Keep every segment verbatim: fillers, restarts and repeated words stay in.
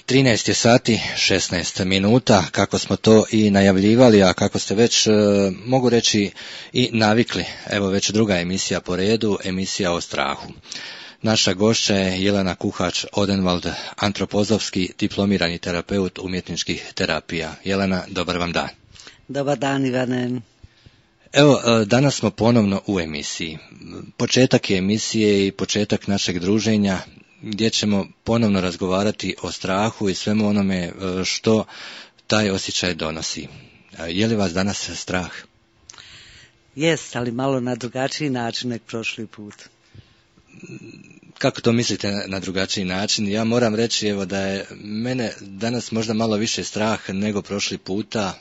trinaest je sati, šesnaest minuta, kako smo to i najavljivali, a kako ste već, mogu reći, i navikli. Evo već druga emisija po redu, emisija o strahu. Naša gošća je Jelena Kuhač-Odenwald, antropozofski diplomirani terapeut umjetničkih terapija. Jelena, dobar vam dan. Dobar dan, Ivane. Evo, danas smo ponovno u emisiji. Početak je emisije i početak našeg druženja, gdje ćemo ponovno razgovarati o strahu i svemu onome što taj osjećaj donosi. Je li vas danas strah? Jest, ali malo na drugačiji način nek prošli put. Kako to mislite na drugačiji način? Ja moram reći evo da je mene danas možda malo više strah nego prošli puta.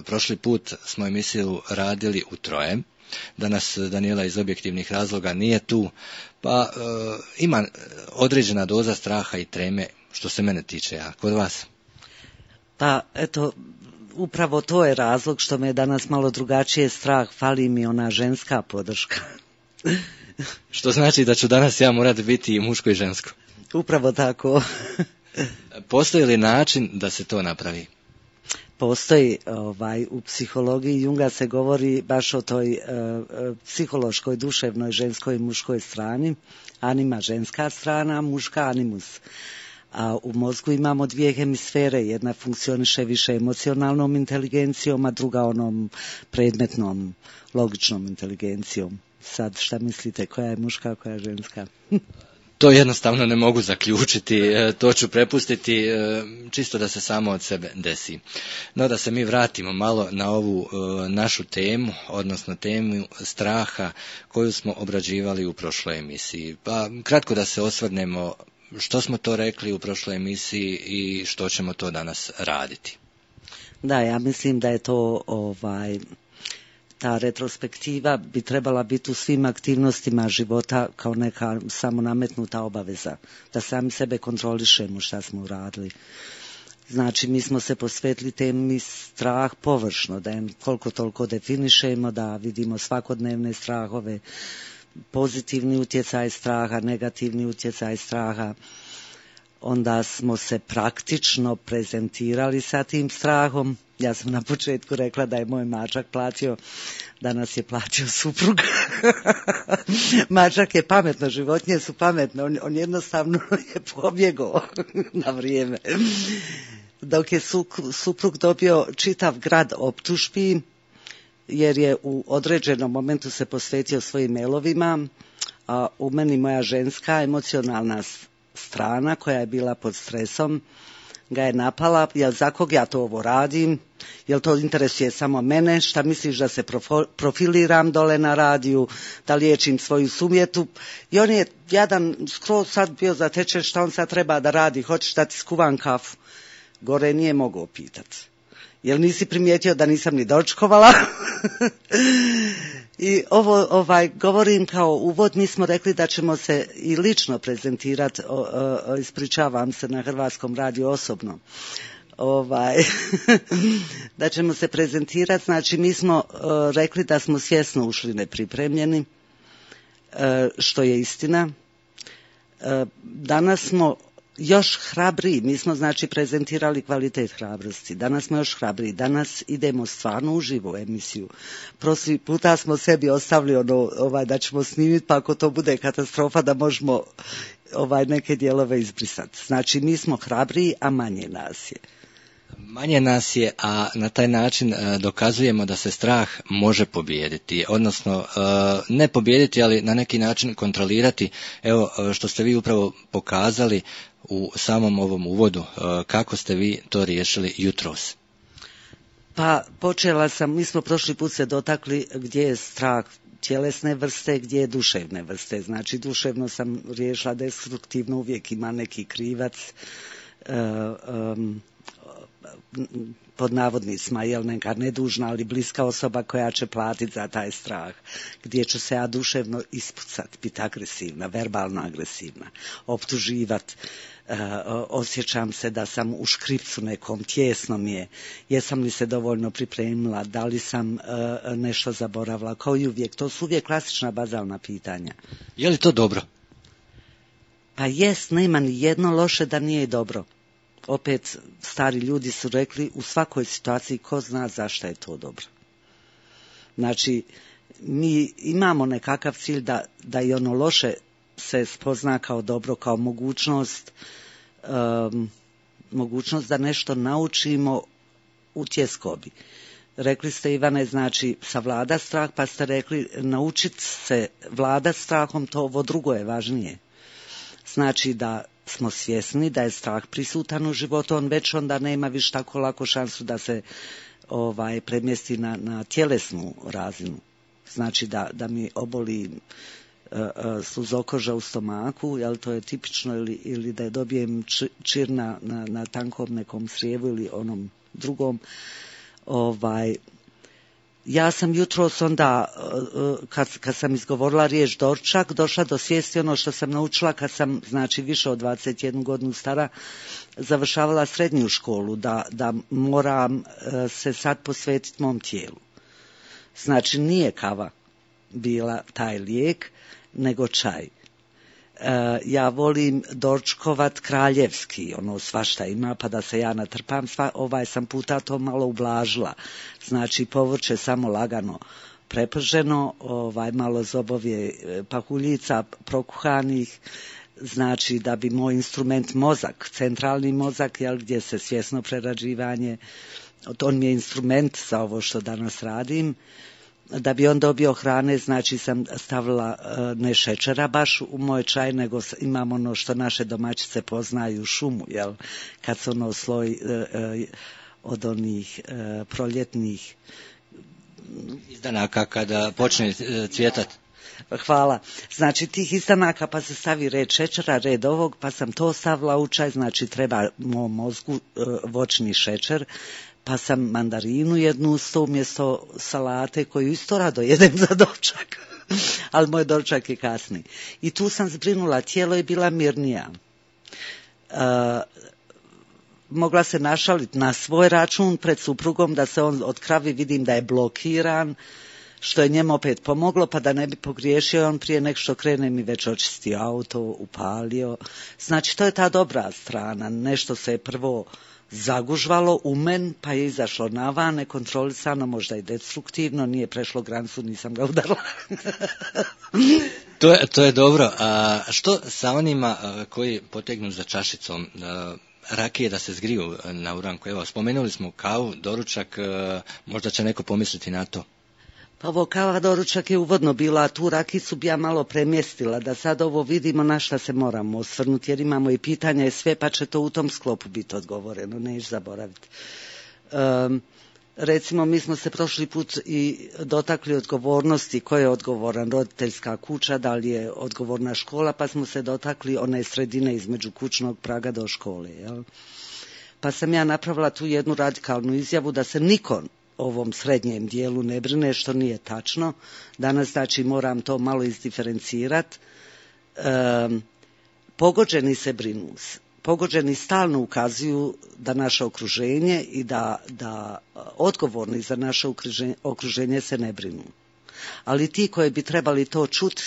Prošli put smo emisiju radili u troje. Danas Danijela iz objektivnih razloga nije tu, pa e, ima određena doza straha i treme što se mene tiče, a kod vas? Pa eto, upravo to je razlog što me je danas malo drugačije strah, fali mi ona ženska podrška. Što znači da ću danas ja morati biti i muško i žensko? Upravo tako. Postoji li način da se to napravi? Postoji, ovaj, u psihologiji Junga se govori baš o toj e, psihološkoj, duševnoj, ženskoj i muškoj strani. Anima ženska strana, muška animus. A u mozgu imamo dvije hemisfere, jedna funkcioniše više emocionalnom inteligencijom, a druga onom predmetnom, logičnom inteligencijom. Sad šta mislite, koja je muška, koja je ženska? To jednostavno ne mogu zaključiti, to ću prepustiti čisto da se samo od sebe desi. No da se mi vratimo malo na ovu našu temu, odnosno temu straha koju smo obrađivali u prošloj emisiji. Pa kratko da se osvrnemo što smo to rekli u prošloj emisiji i što ćemo to danas raditi. Da, ja mislim da je to ovaj... ta retrospektiva bi trebala biti u svim aktivnostima života kao neka samonametnuta obaveza, da sami sebe kontrolišemo šta smo uradili. Znači, mi smo se posvetili temi strah površno, da je koliko toliko definišemo, da vidimo svakodnevne strahove, pozitivni utjecaj straha, negativni utjecaj straha. Onda smo se praktično prezentirali sa tim strahom. Ja sam na početku rekla da je moj mačak platio, danas je platio suprug. Mačak je pametno, životinje su pametne, on, on jednostavno je pobjegao na vrijeme. Dok je su, suprug dobio čitav grad optužbi, jer je u određenom momentu se posvetio svojim mailovima, a u meni moja ženska emocionalna strana koja je bila pod stresom ga je napala, jel za kog ja to ovo radim, jel to interesuje samo mene, šta misliš da se profiliram dole na radiju, da liječim svoju sumjetu. I on je jadan skroz sad bio zatečen šta on sad treba da radi, hoćeš da ti skuvam kafu. Gore nije mogao pitati. Jel nisi primijetio da nisam ni dočkovala? I ovo ovaj, govorim kao uvod, mi smo rekli da ćemo se i lično prezentirati, ispričavam se na Hrvatskom radiju osobno, ovaj, da ćemo se prezentirati, znači mi smo o, rekli da smo svjesno ušli nepripremljeni, e, što je istina. E, danas smo još hrabriji, mi smo znači prezentirali kvalitet hrabrosti, danas smo još hrabriji, danas idemo stvarno uživo u emisiju. Prošli puta smo sebi ostavili ono, ovaj, da ćemo snimiti, pa ako to bude katastrofa da možemo ovaj, neke dijelove izbrisati. Znači mi smo hrabriji, a manje nas je. Manje nas je, a na taj način dokazujemo da se strah može pobijediti, odnosno ne pobijediti, ali na neki način kontrolirati. Evo što ste vi upravo pokazali u samom ovom uvodu, kako ste vi to riješili jutros? Pa počela sam, mi smo prošli put se dotakli gdje je strah tjelesne vrste, gdje je duševne vrste. Znači duševno sam riješila destruktivno, uvijek ima neki krivac, um, pod navodnicima, jel neka nedužna, ali bliska osoba koja će platiti za taj strah, gdje ću se ja duševno ispucati, biti agresivna, verbalno agresivna, optuživati, uh, osjećam se da sam u škripcu nekom, tjesno mi je, jesam li se dovoljno pripremila, da li sam uh, nešto zaboravila, kao i uvijek, to su uvijek klasična bazalna pitanja. Je li to dobro? Pa jest, nema ni jedno loše da nije dobro. opet stari ljudi su rekli u svakoj situaciji ko zna zašto je to dobro. Znači, mi imamo nekakav cilj da, da i ono loše se spozna kao dobro, kao mogućnost, um, mogućnost da nešto naučimo u tjeskobi. Rekli ste, Ivane, znači savlada strah, pa ste rekli naučiti se vlada strahom, to ovo drugo je važnije. Znači da smo svjesni da je strah prisutan u životu, on već onda nema više tako lako šansu da se ovaj premjesti na, na tjelesnu razinu. Znači da, da mi oboli uh, uh, sluzokoža u stomaku, jel to je tipično, ili, ili da je dobijem čir na, na, na tankom nekom srijevu ili onom drugom. Ovaj, ja sam jutros onda, kad, kad sam izgovorila riječ dorčak, došla do svijesti ono što sam naučila kad sam, znači, više od dvadeset jednu godinu stara, završavala srednju školu, da, da moram se sad posvetiti mom tijelu. Znači, nije kava bila taj lijek, nego čaj. E, ja volim dorčkovat kraljevski, ono svašta ima, pa da se ja natrpam, sva, ovaj sam puta to malo ublažila. Znači, povrće samo lagano preprženo, ovaj, malo zobovje pahuljica prokuhanih, znači da bi moj instrument mozak, centralni mozak, jel, gdje se svjesno prerađivanje, on mi je instrument za ovo što danas radim, da bi on dobio hrane, znači sam stavila ne šećera baš u moj čaj, nego imam ono što naše domaćice poznaju, šumu, jel, kad se ono sloj e, e, od onih e, proljetnih izdanaka kada počne cvjetati. Hvala. Znači tih izdanaka, pa se stavi red šećera, red ovog, pa sam to stavila u čaj, znači treba mom mozgu e, voćni šećer, pa sam mandarinu jednu usto umjesto salate koju isto rado jedem za dočak, ali moj dočak je kasni. I tu sam zbrinula, tijelo je bila mirnija. E, mogla se našaliti na svoj račun pred suprugom da se on od kravi vidim da je blokiran, što je njemu opet pomoglo, pa da ne bi pogriješio, on prije nek što krene mi već očistio auto, upalio. Znači to je ta dobra strana, nešto se je prvo zagužvalo u men, pa je izašlo na van, nekontrolisano, možda i destruktivno, nije prešlo granicu, nisam ga udarila. to, je, to je dobro. A što sa onima koji potegnu za čašicom rakije da se zgriju na uranku? Evo, spomenuli smo kavu, doručak, možda će neko pomisliti na to. Pa ovo kava doručak je uvodno bila, a tu rakicu bi ja malo premjestila, da sad ovo vidimo na šta se moramo osvrnuti, jer imamo i pitanja i sve, pa će to u tom sklopu biti odgovoreno, neću zaboraviti. Um, recimo, mi smo se prošli put i dotakli odgovornosti, ko je odgovoran, roditeljska kuća, da li je odgovorna škola, pa smo se dotakli one sredine između kućnog praga do škole. Jel? Pa sam ja napravila tu jednu radikalnu izjavu da se niko ovom srednjem dijelu ne brine, što nije tačno. Danas, znači, moram to malo izdiferencirati. E, pogođeni se brinu. Pogođeni stalno ukazuju da naše okruženje i da, da odgovorni za naše okruženje, okruženje se ne brinu. Ali ti koji bi trebali to čuti,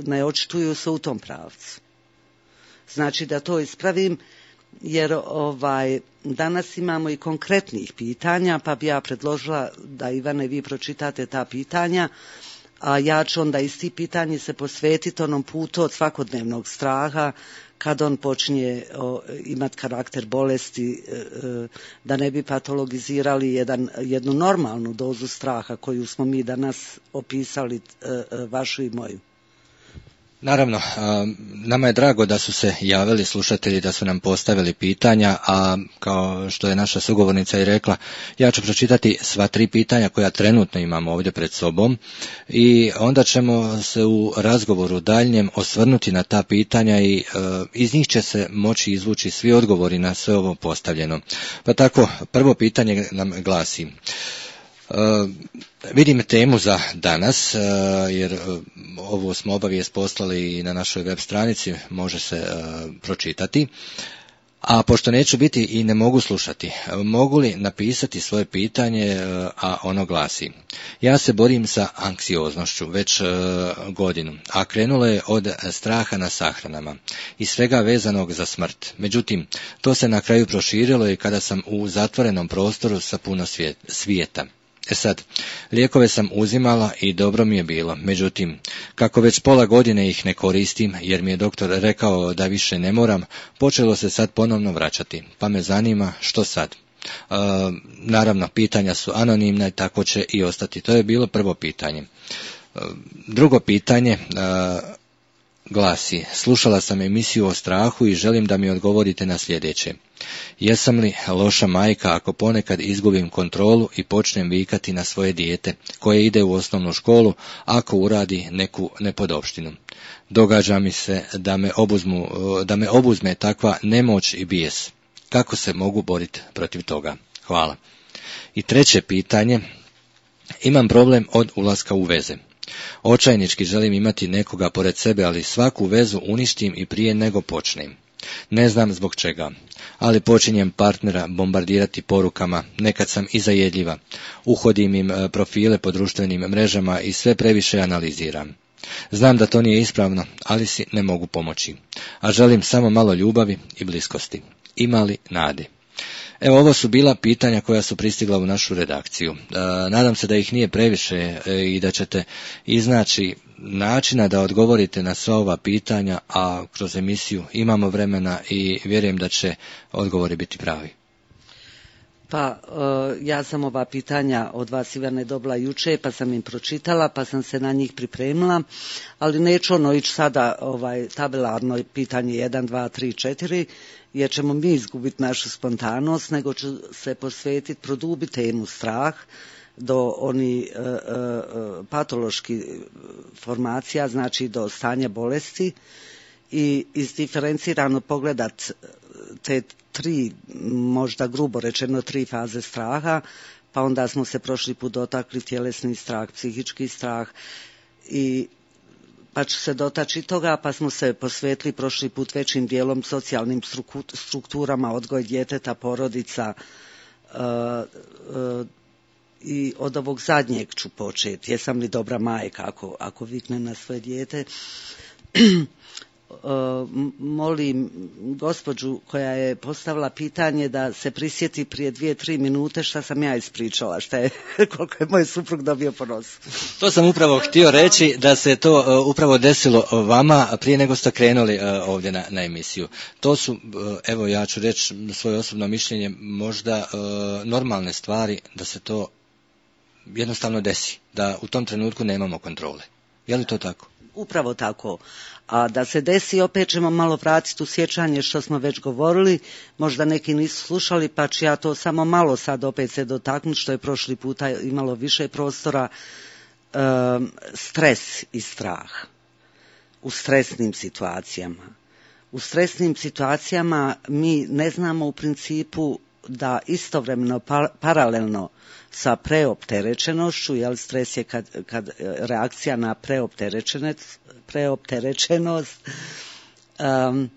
ne očituju se u tom pravcu. Znači, da to ispravim, jer ovaj, danas imamo i konkretnih pitanja, pa bi ja predložila da, Ivane, vi pročitate ta pitanja, a ja ću onda iz tih pitanja se posvetiti onom putu od svakodnevnog straha, kad on počinje imati karakter bolesti, e, e, da ne bi patologizirali jedan, jednu normalnu dozu straha koju smo mi danas opisali, e, e, vašu i moju. Naravno, nama je drago da su se javili slušatelji, da su nam postavili pitanja, a kao što je naša sugovornica i rekla, ja ću pročitati sva tri pitanja koja trenutno imamo ovdje pred sobom i onda ćemo se u razgovoru daljnjem osvrnuti na ta pitanja i iz njih će se moći izvući svi odgovori na sve ovo postavljeno. Pa tako, prvo pitanje nam glasi: Uh, vidim temu za danas, uh, jer uh, ovu smo obavijest poslali i na našoj web stranici, može se uh, pročitati. A pošto neću biti i ne mogu slušati, mogu li napisati svoje pitanje, a ono glasi: ja se borim sa anksioznošću već godinu, a krenulo je od straha na sahranama i svega vezanog za smrt. Međutim, to se na kraju proširilo i kada sam u zatvorenom prostoru sa puno svijeta. E sad, lijekove sam uzimala i dobro mi je bilo, međutim, kako već pola godine ih ne koristim, jer mi je doktor rekao da više ne moram, počelo se sad ponovno vraćati, pa me zanima što sad. E, naravno, pitanja su anonimna i tako će i ostati. To je bilo prvo pitanje. E, drugo pitanje e, glasi: slušala sam emisiju o strahu i želim da mi odgovorite na sljedeće. Jesam li loša majka ako ponekad izgubim kontrolu i počnem vikati na svoje dijete koje ide u osnovnu školu ako uradi neku nepodopštinu? Događa mi se da me, obuzmu, da me obuzme takva nemoć i bijes. Kako se mogu boriti protiv toga? Hvala. I treće pitanje. Imam problem od ulaska u veze. Očajnički želim imati nekoga pored sebe, ali svaku vezu uništim i prije nego počnem. Ne znam zbog čega, ali počinjem partnera bombardirati porukama, nekad sam i zajedljiva. Uhodim im profile po društvenim mrežama i sve previše analiziram. Znam da to nije ispravno, ali si ne mogu pomoći. A želim samo malo ljubavi i bliskosti. Ima li nade? Evo, ovo su bila pitanja koja su pristigla u našu redakciju. E, nadam se da ih nije previše e, i da ćete iznaći načina da odgovorite na sva ova pitanja, a kroz emisiju imamo vremena i vjerujem da će odgovori biti pravi. Pa ja sam ova pitanja od vas, Ivane, dobila juče, pa sam im pročitala, pa sam se na njih pripremila, ali neću ono ići sada ovaj, tabelarno pitanje jedan, dva, tri, četiri, jer ćemo mi izgubiti našu spontanost, nego ću se posvetiti, produbiti temu strah do oni e, e, patološki formacija, znači do stanja bolesti, i izdiferencirano pogledat te tri, možda grubo rečeno tri faze straha, pa onda smo se prošli put dotakli tjelesni strah, psihički strah, i pa ću se dotaći toga, pa smo se posvetili prošli put većim dijelom socijalnim strukturama, odgoj djeteta, porodica, uh, uh, i od ovog zadnjeg ću početi. Jesam li dobra majka ako, ako viknem na svoje dijete? Molim gospođu koja je postavila pitanje da se prisjeti prije dvije, tri minute šta sam ja ispričala, šta je, koliko je moj suprug dobio po nosu. To sam upravo htio reći, da se to uh, upravo desilo vama prije nego ste krenuli uh, ovdje na, na emisiju. To su, uh, evo ja ću reći svoje osobno mišljenje, možda uh, normalne stvari da se to jednostavno desi, da u tom trenutku nemamo kontrole. Je li to tako? Upravo tako. A da se desi, opet ćemo malo vratiti u sjećanje što smo već govorili, možda neki nisu slušali, pa ću ja to samo malo sad opet se dotaknuti, što je prošli puta imalo više prostora. E, stres i strah u stresnim situacijama. U stresnim situacijama mi ne znamo u principu da istovremeno pa, paralelno sa preopterećenošću, jer stres je kad, kad reakcija na preopterećenost, um,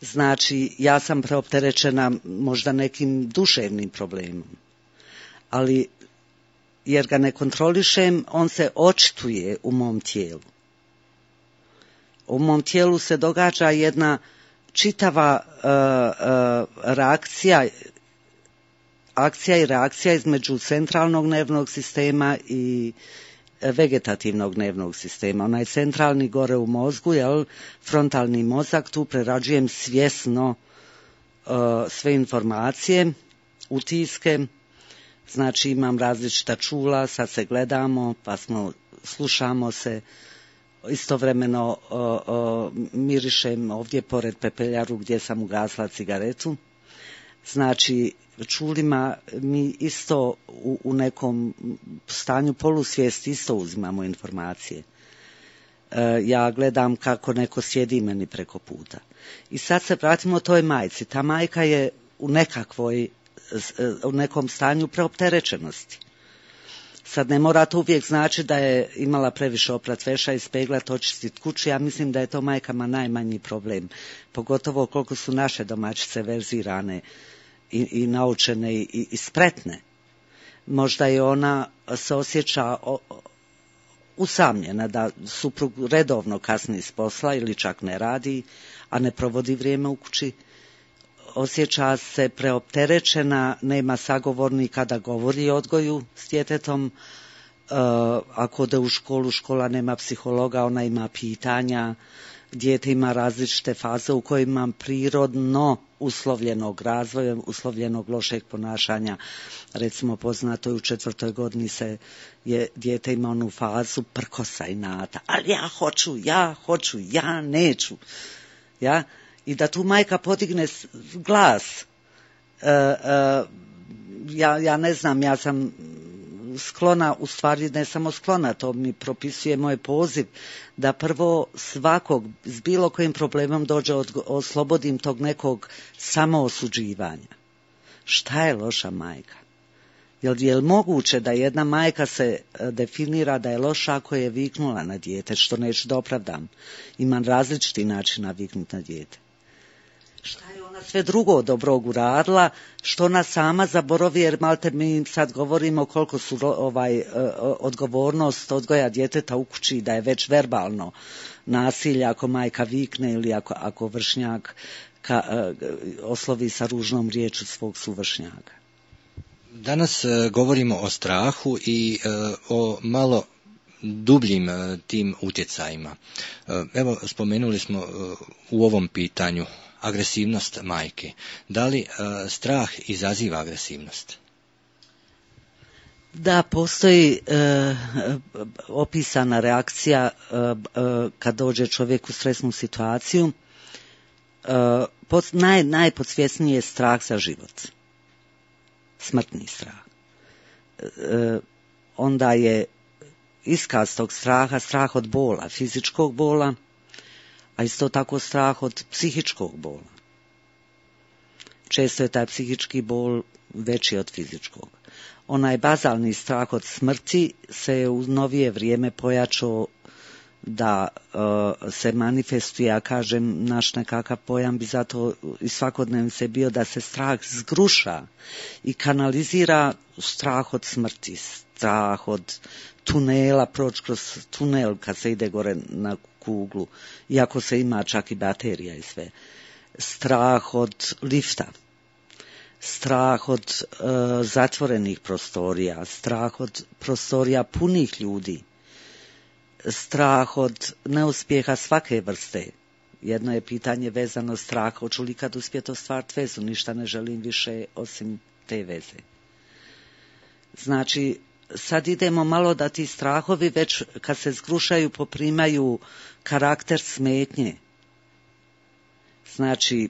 znači ja sam preopterećena možda nekim duševnim problemom, ali jer ga ne kontrolišem, on se očituje u mom tijelu. U mom tijelu se događa jedna čitava uh, uh, reakcija, akcija i reakcija između centralnog nervnog sistema i vegetativnog nervnog sistema. Onaj centralni gore u mozgu, jel, frontalni mozak, tu prerađujem svjesno uh, sve informacije, utiske, znači imam različita čula, sad se gledamo, pa smo, slušamo se, istovremeno uh, uh, mirišem ovdje pored pepeljaru gdje sam ugasla cigaretu. Znači, čulima mi isto u, u nekom stanju polusvijesti isto uzimamo informacije. E, ja gledam kako neko sjedi meni preko puta. I sad se vratimo toj majci. Ta majka je u nekakvoj, u nekom stanju preopterećenosti. Sad ne mora to uvijek znači da je imala previše oprat veša, ispeglat, očistit kuću. Ja mislim da je to majkama najmanji problem. Pogotovo koliko su naše domaćice verzirane i, i naučene i, i spretne. Možda je ona se osjeća o, usamljena da suprug redovno kasni s posla ili čak ne radi, a ne provodi vrijeme u kući. Osjeća se preopterećena, nema sagovornika da govori o odgoju s djetetom. E, ako ode u školu, škola nema psihologa, ona ima pitanja. Dijete ima različite faze u kojima prirodno uslovljenog razvoja, uslovljenog lošeg ponašanja. Recimo, poznato je u četvrtoj godini se je dijete ima onu fazu prkosa i nata. Ali ja hoću, ja hoću, ja neću. Ja? I da tu majka podigne glas. E, e, ja, ja ne znam, ja sam sklona, u stvari ne samo sklona, to mi propisuje moj poziv, da prvo svakog s bilo kojim problemom dođe, od, oslobodim tog nekog samoosuđivanja. Šta je loša majka? Jel je li moguće da jedna majka se definira da je loša ako je viknula na dijete, što neću da opravdam? Imam različiti način naviknuti na dijete. Šta je ona sve drugo dobrog uradila, što ona sama zaboravi, jer malte mi sad govorimo koliko su ovaj odgovornost odgoja djeteta u kući, da je već verbalno nasilje ako majka vikne ili ako, ako vršnjak ka, oslovi sa ružnom riječu svog suvršnjaka. Danas uh, govorimo o strahu i uh, o malo dubljim uh, tim utjecajima. Uh, evo, spomenuli smo uh, u ovom pitanju agresivnost majke. Da li uh, strah izaziva agresivnost? Da, postoji uh, opisana reakcija uh, uh, kad dođe čovjek u stresnu situaciju. Uh, pod, naj, najpodsvjesniji je strah za život. Smrtni strah. E, onda je iskaz tog straha, strah od bola, fizičkog bola, a isto tako strah od psihičkog bola. Često je taj psihički bol veći od fizičkog. Onaj bazalni strah od smrti se je u novije vrijeme pojačao da uh, se manifestuje, ja kažem, naš nekakav pojam bi zato i svakodnevnice bio da se strah zgruša i kanalizira strah od smrti, strah od tunela, proći kroz tunel kad se ide gore na kuglu, iako se ima čak i baterija i sve. Strah od lifta, strah od uh, zatvorenih prostorija, strah od prostorija punih ljudi, strah od neuspjeha svake vrste. Jedno je pitanje vezano straha, hoću li kad uspjeti ostvariti vezu, ništa ne želim više osim te veze. Znači, sad idemo malo da ti strahovi već kad se zgrušaju poprimaju karakter smetnje. Znači,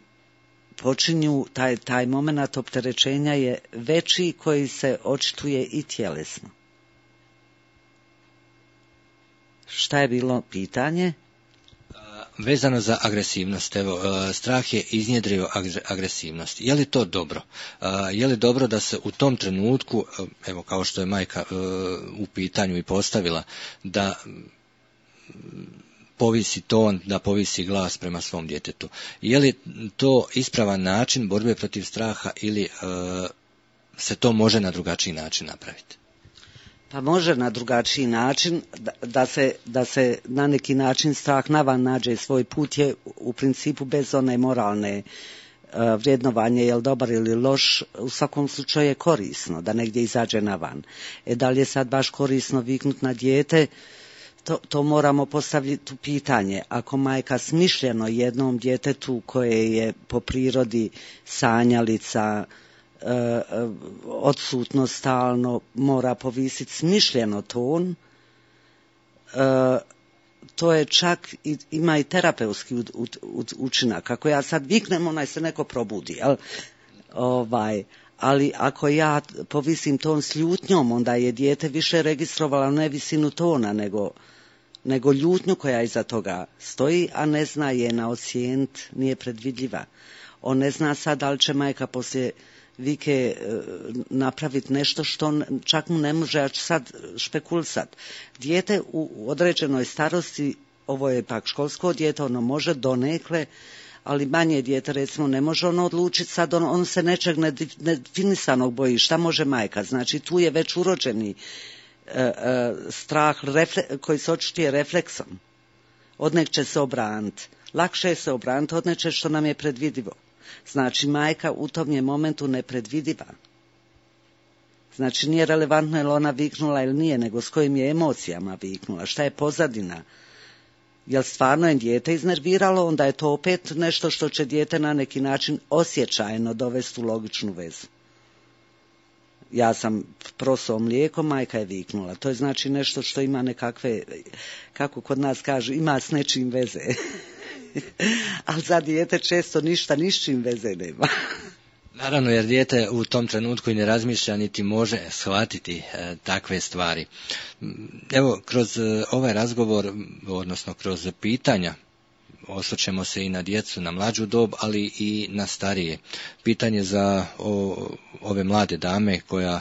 počinju, taj, taj moment opterećenja je veći koji se očituje i tjelesno. Šta je bilo pitanje? Vezano za agresivnost, evo, strah je iznjedrio agresivnost. Je li to dobro? Je li dobro da se u tom trenutku, evo kao što je majka u pitanju i postavila, da povisi ton, da povisi glas prema svom djetetu? Je li to ispravan način borbe protiv straha ili se to može na drugačiji način napraviti? Pa može na drugačiji način, da, da, se, da se na neki način strah navan nađe svoj put je u principu bez one moralne uh, vrijednovanje, je li dobar ili loš, u svakom slučaju je korisno da negdje izađe navan. E da li je sad baš korisno viknut na dijete, to, to moramo postaviti u pitanje. Ako majka smišljeno jednom djetetu koje je po prirodi sanjalica, Uh, odsutno stalno mora povisiti smišljeno ton, uh, to je čak i, ima i terapeutski u, u, u, učinak. Ako ja sad viknem, onaj se neko probudi, jel? Ovaj, ali ako ja povisim ton s ljutnjom, onda je dijete više registrovalo ne visinu tona, nego, nego ljutnju koja iza toga stoji, a ne zna je na ocijenit, nije predvidljiva. On ne zna sad da li će majka poslije vike napraviti nešto što čak mu ne može, ja ću sad špekulisat. Dijete u određenoj starosti, ovo je pak školsko dijete, ono može donekle, ali manje dijete recimo ne može ono odlučiti sad, on, on se nečeg nedefinisanog boji, šta može majka, znači tu je već urođeni e, e, strah refle, koji se očituje refleksom, odnek će se obraniti, lakše je se obraniti od neče što nam je predvidivo, znači majka u tom je momentu nepredvidiva, znači nije relevantno je li ona viknula ili nije, nego s kojim je emocijama viknula, šta je pozadina. Jel stvarno je dijete iznerviralo, onda je to opet nešto što će dijete na neki način osjećajno dovesti u logičnu vezu. Ja sam prosao mlijeko, majka je viknula. To je znači nešto što ima nekakve, kako kod nas kažu, ima s nečim veze. Ali za dijete često ništa ni s čim veze nema. Naravno, jer dijete u tom trenutku i ne razmišlja niti može shvatiti e, takve stvari. Evo, kroz e, ovaj razgovor, odnosno kroz pitanja, osvrćemo se i na djecu, na mlađu dob, ali i na starije. Pitanje za o, ove mlade dame koja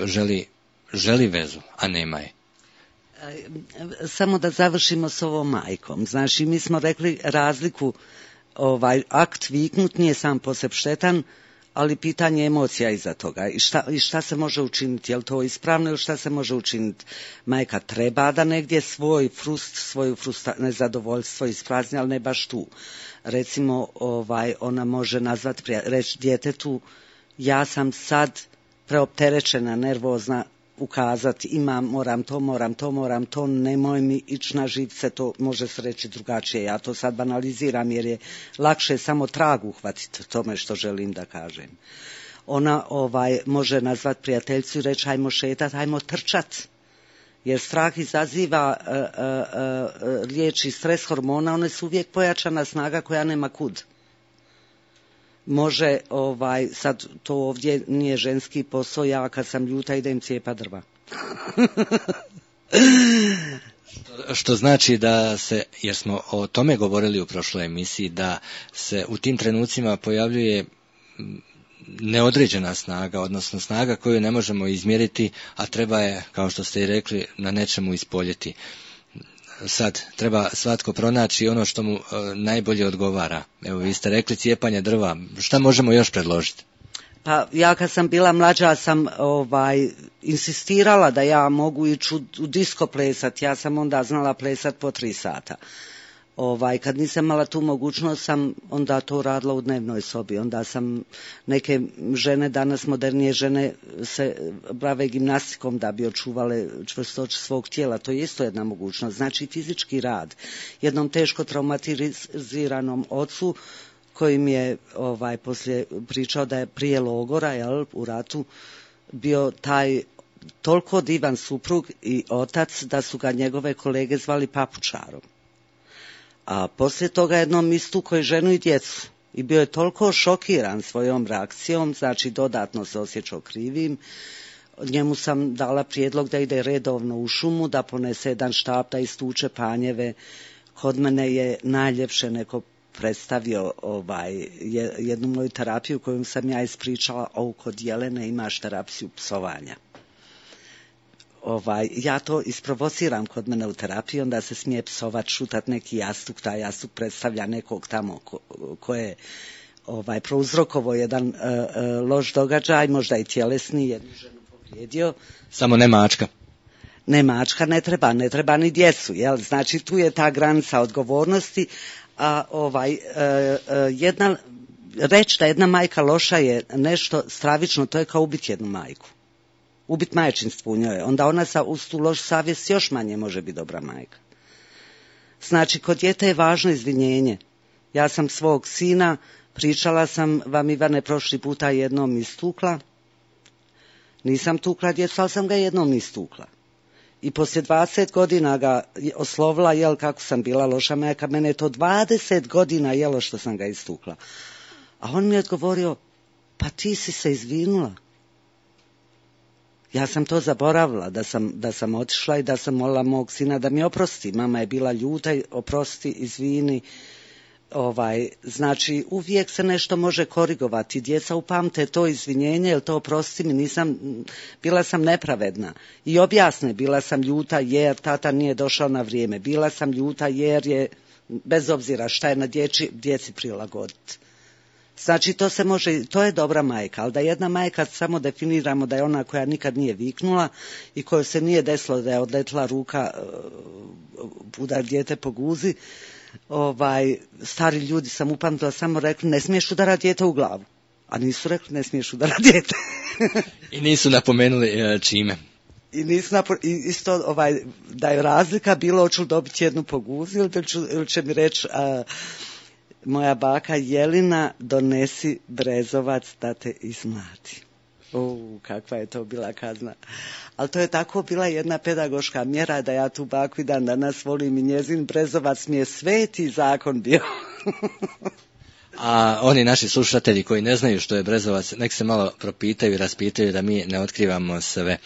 želi, želi vezu, a nema je. Samo da završimo s ovom majkom. Znači, mi smo rekli razliku, ovaj akt viknut nije sam po sebi štetan, ali pitanje emocija iza toga i šta, i šta se može učiniti, je li to ispravno ili šta se može učiniti. Majka treba da negdje svoj frust, svoju frusta, nezadovoljstvo isprazni, ali ne baš tu. Recimo, ovaj, ona može nazvati, reći djetetu, ja sam sad preopterećena, nervozna, ukazati, imam, moram to, moram to, moram to, nemoj mi ići na živce, to može se reći drugačije. Ja to sad banaliziram jer je lakše samo trag uhvatiti tome što želim da kažem. Ona ovaj može nazvati prijateljicu i reći hajmo šetat, hajmo trčat. Jer strah izaziva uh, uh, uh, liječi stres hormona, one su uvijek pojačana snaga koja nema kud. Može, ovaj, sad to ovdje nije ženski posao, ja kad sam ljuta idem cijepa drva. što, što znači da se, jer smo o tome govorili u prošloj emisiji, da se u tim trenucima pojavljuje neodređena snaga, odnosno snaga koju ne možemo izmjeriti, a treba je, kao što ste i rekli, na nečemu ispoljeti. Sad treba svatko pronaći ono što mu e, najbolje odgovara. Evo, vi ste rekli cijepanje drva. Šta možemo još predložiti? Pa ja kad sam bila mlađa sam ovaj insistirala da ja mogu ići u, u disko plesat. Ja sam onda znala plesat po tri sata. Ovaj, kad nisam imala tu mogućnost sam onda to radila u dnevnoj sobi. Onda sam, neke žene, danas modernije žene se bave gimnastikom da bi očuvale čvrstoću svog tijela. To je isto jedna mogućnost. Znači fizički rad. Jednom teško traumatiziranom ocu kojim je ovaj, poslije pričao da je prije logora, jel, u ratu, bio taj toliko divan suprug i otac da su ga njegove kolege zvali papučarom. A poslije toga jednom istukao je ženu i djecu i bio je toliko šokiran svojom reakcijom, znači dodatno se osjećao krivim. Njemu sam dala prijedlog da ide redovno u šumu, da ponese jedan štap, da istuče panjeve. Kod mene je najljepše neko predstavio ovaj, jednu moju terapiju koju sam ja ispričala, ovo kod Jelene imaš terapiju psovanja. Ovaj, ja to isprovociram kod mene u terapiji, onda se smije psovat, šutat neki jastuk, taj jastuk predstavlja nekog tamo ko, ko je ovaj, prouzrokovo jedan uh, uh, loš događaj, možda i tjelesni, jednu ženu povrijedio. Samo ne mačka. Ne mačka, ne treba, ne treba ni djecu, jel? Znači tu je ta granica odgovornosti, a ovaj, uh, uh, jedna, reći da jedna majka loša je nešto stravično, to je kao ubiti jednu majku. Ubit majčinstvo u njoj, onda ona sa, uz tu loš savjest još manje može biti dobra majka. Znači, kod djete je važno izvinjenje. Ja sam svog sina, pričala sam vam, Ivane, prošli puta jednom istukla. Nisam tukla djecu, ali sam ga jednom istukla. I poslije dvadeset godina ga oslovila, jel, kako sam bila loša majka, mene je to dvadeset godina jelo što sam ga istukla. A on mi je odgovorio, pa ti si se izvinula. Ja sam to zaboravila, da sam, da sam otišla i da sam molila mog sina da mi oprosti. Mama je bila ljuta, oprosti, izvini. Ovaj, znači uvijek se nešto može korigovati. Djeca upamte to izvinjenje, jer to oprosti mi, nisam, bila sam nepravedna. I objasne, bila sam ljuta jer tata nije došao na vrijeme. Bila sam ljuta jer je, bez obzira šta je na djeci, djeci prilagoditi. Znači to se može, to je dobra majka, ali da jedna majka samo definiramo da je ona koja nikad nije viknula i kojoj se nije desilo da je odletila ruka udar dijete po guzi, ovaj, stari ljudi sam upamtila samo rekli ne smiješ udarati dijete u glavu, a nisu rekli ne smiješ udarati dijete. I nisu napomenuli čime. I nisu napo, i isto ovaj, da je razlika bilo hoću li dobiti jednu po guzi ili, ću, ili će mi reći a, moja baka Jelina donesi brezovac da te izmlati. U, kakva je to bila kazna. Ali to je tako bila jedna pedagoška mjera da ja tu baku i dan danas volim i njezin brezovac mi je sveti zakon bio. A oni naši slušatelji koji ne znaju što je brezovac, nek se malo propitaju i raspitaju da mi ne otkrivamo sve.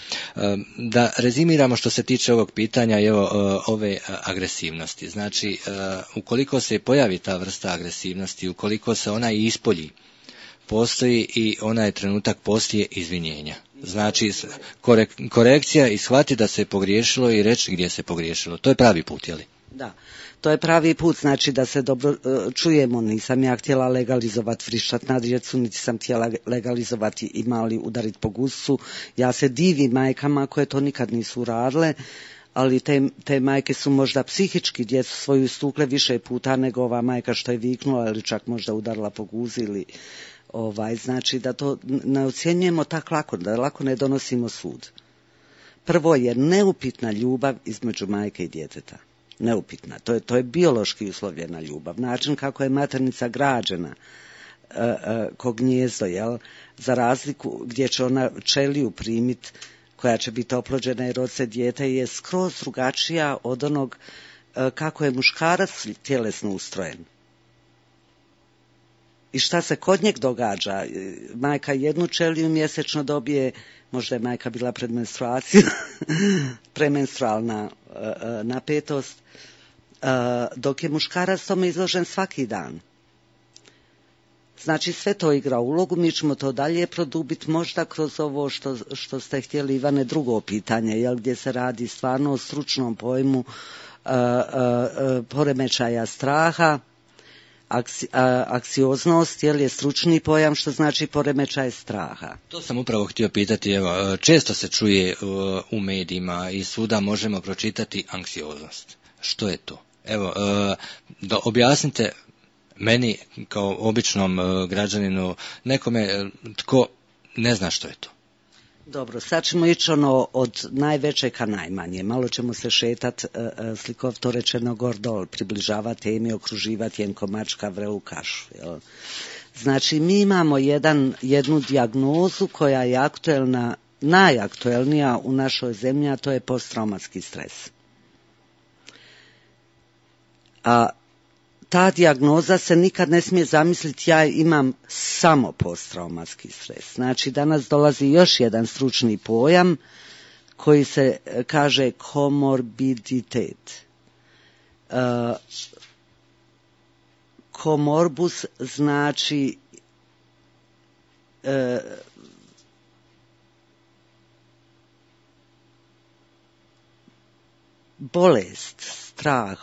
Da rezimiramo što se tiče ovog pitanja i evo ove agresivnosti. Znači, ukoliko se pojavi ta vrsta agresivnosti, ukoliko se ona ispolji, postoji i onaj trenutak poslije izvinjenja. Znači, korek, korekcija i shvati da se pogriješilo i reći gdje se pogriješilo. To je pravi put, je li? Da. To je pravi put, znači da se dobro uh, čujemo, nisam ja htjela legalizovati vrištat na djecu, niti sam htjela legalizovati i mali udariti po gusu. Ja se divim majkama koje to nikad nisu radile, ali te, te majke su možda psihički djecu svoju istukle više puta nego ova majka što je viknula ili čak možda udarila po guzi ili ovaj, znači da to ne ocjenjujemo tako lako, da lako ne donosimo sud. Prvo je neupitna ljubav između majke i djeteta. Neupitna. To je, to je biološki uslovljena ljubav. Način kako je maternica građena e, e, ko gnijezdo, jel? Za razliku gdje će ona čeliju primit koja će biti oplođena i rod se dijete je skroz drugačija od onog e, kako je muškarac tjelesno ustrojen. I šta se kod njeg događa? Majka jednu čeliju mjesečno dobije, možda je majka bila pred menstruaciju, premenstrualna uh, napetost, uh, dok je muškarac tome izložen svaki dan. Znači sve to igra ulogu, mi ćemo to dalje produbiti možda kroz ovo što, što ste htjeli, Ivane, drugo pitanje, jel, gdje se radi stvarno o stručnom pojmu uh, uh, uh, poremećaja straha. Aksi, a, aksioznost, jer je stručni pojam što znači poremećaj straha. To sam upravo htio pitati, evo, često se čuje uh, u medijima i svuda možemo pročitati anksioznost. Što je to? Evo, uh, da objasnite meni kao običnom uh, građaninu, nekome tko ne zna što je to. Dobro, sad ćemo ići ono od najveće ka najmanje. Malo ćemo se šetat, e, slikovito rečeno gordol, približavati temi, okruživati jenkomačka vrelu kašu. Jel? Znači, mi imamo jedan, jednu dijagnozu koja je aktuelna, najaktuelnija u našoj zemlji, a to je posttraumatski stres. A ta dijagnoza se nikad ne smije zamisliti ja imam samo posttraumatski stres. Znači danas dolazi još jedan stručni pojam koji se kaže komorbiditet. Uh, komorbus znači uh, bolest, strah,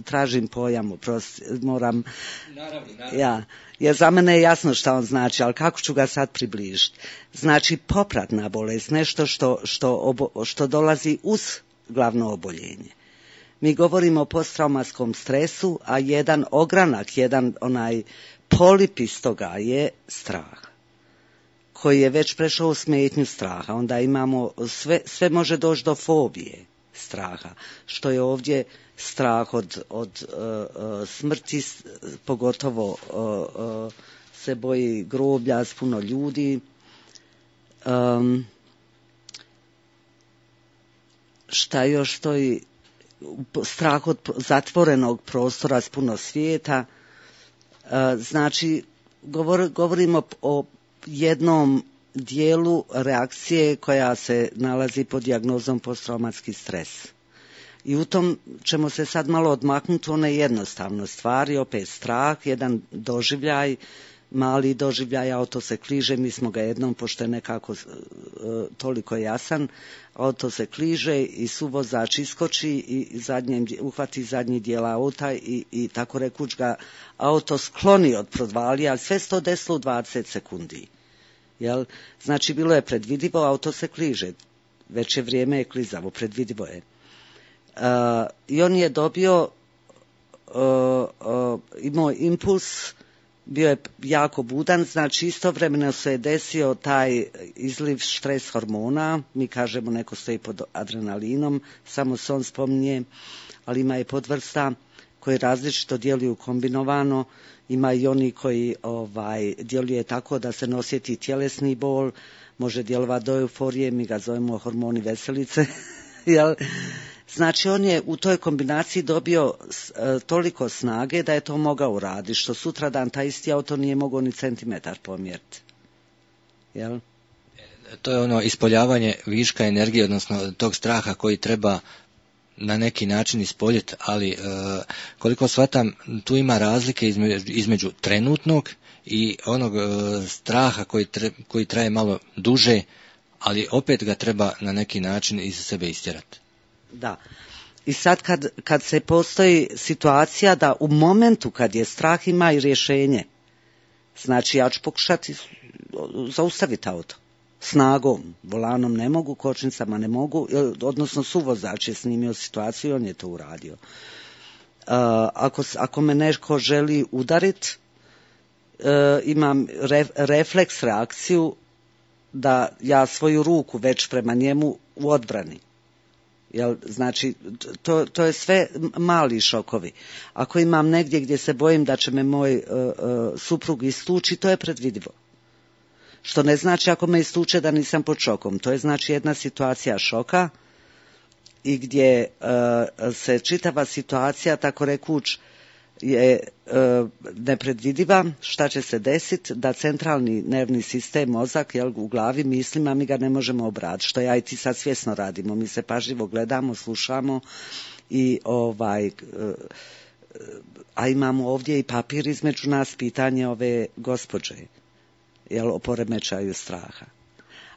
tražim pojam, oprosti, moram, naravno, naravno. Ja, jer za mene je jasno šta on znači, ali kako ću ga sad približiti? Znači popratna bolest, nešto što, što, obo, što dolazi uz glavno oboljenje. Mi govorimo o posttraumatskom stresu, a jedan ogranak, jedan onaj polip iz toga je strah, koji je već prešao u smetnju straha. Onda imamo, sve, sve može doći do fobije straha, što je ovdje strah od, od uh, smrti, pogotovo uh, uh, se boji groblja s puno ljudi. Um, šta još stoji? Strah od zatvorenog prostora s puno svijeta. Uh, znači, govor, govorimo o jednom dijelu reakcije koja se nalazi pod dijagnozom posttraumatski stres. I u tom ćemo se sad malo odmaknuti one jednostavno stvari, opet strah, jedan doživljaj, mali doživljaj, auto se kliže, mi smo ga jednom, pošto je nekako uh, toliko jasan, auto se kliže i suvozač iskoči i zadnjem, uhvati zadnji dijel auta i, i tako rekuć ga auto skloni od prodvalija, ali sve se to desilo u dvadeset sekundi. Jel? Znači, bilo je predvidivo, auto se kliže, već je vrijeme je klizavo, predvidivo je. Uh, I on je dobio, uh, uh, imao impuls, bio je jako budan, znači istovremeno se je desio taj izliv stres hormona, mi kažemo neko stoji pod adrenalinom, samo se on spominje, ali ima i podvrsta koji različito djeluju kombinovano, ima i oni koji ovaj, djeluje tako da se ne osjeti tjelesni bol, može djelovati do euforije, mi ga zovemo hormoni veselice, jel? Znači, on je u toj kombinaciji dobio e, toliko snage da je to mogao uraditi, što sutradan taj isti auto nije mogao ni centimetar pomjeriti. Jel? To je ono ispoljavanje viška energije, odnosno tog straha koji treba na neki način ispoljiti, ali e, koliko shvatam, tu ima razlike između, između trenutnog i onog e, straha koji, tre, koji traje malo duže, ali opet ga treba na neki način iz sebe istjerati. Da. I sad kad, kad se postoji situacija da u momentu kad je strah ima i rješenje, znači ja ću pokušati zaustaviti auto snagom, volanom ne mogu, kočnicama ne mogu, odnosno suvozač je snimio situaciju i on je to uradio. Uh, ako, ako me neko želi udariti, uh, imam re, refleks, reakciju da ja svoju ruku već prema njemu u odbrani. Jel, znači, to, to je sve mali šokovi. Ako imam negdje gdje se bojim da će me moj uh, uh, suprug istući, to je predvidivo. Što ne znači ako me istuče da nisam pod šokom. To je znači jedna situacija šoka i gdje uh, se čitava situacija, tako rekuć, je uh, nepredvidiva, šta će se desiti, da centralni nervni sistem, mozak, jel, u glavi mislima, mi ga ne možemo obraditi, što ja i ti sad svjesno radimo. Mi se pažljivo gledamo, slušamo i ovaj, uh, a imamo ovdje i papir između nas, pitanje ove gospođe, jel, o poremećaju straha.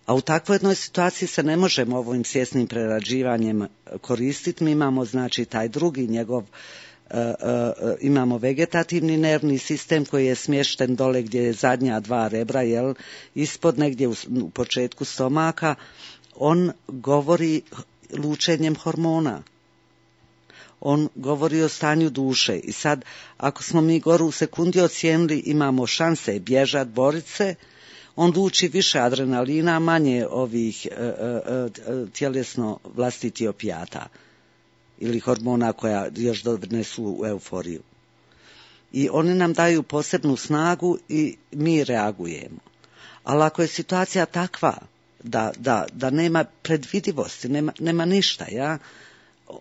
A u takvoj jednoj situaciji se ne možemo ovim svjesnim prerađivanjem koristiti. Mi imamo znači taj drugi njegov Uh, uh, imamo vegetativni nervni sistem koji je smješten dole gdje je zadnja dva rebra, jel, ispod negdje u, u početku stomaka. On govori lučenjem hormona. On govori o stanju duše. I sad, ako smo mi gore u sekundi ocijenili imamo šanse bježat, borit se, on luči više adrenalina, manje ovih uh, uh, uh, tjelesno vlastiti opijata ili hormona koja još donesu u euforiju. I oni nam daju posebnu snagu i mi reagujemo. Ali ako je situacija takva da, da, da nema predvidivosti, nema, nema ništa, ja,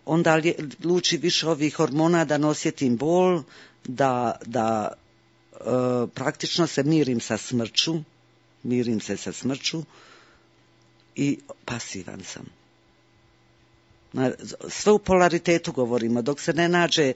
onda li, luči više ovih hormona da ne osjetim bol, da, da e, praktično se mirim sa smrću, mirim se sa smrću i pasivan sam. Sve u polaritetu govorimo, dok se ne nađe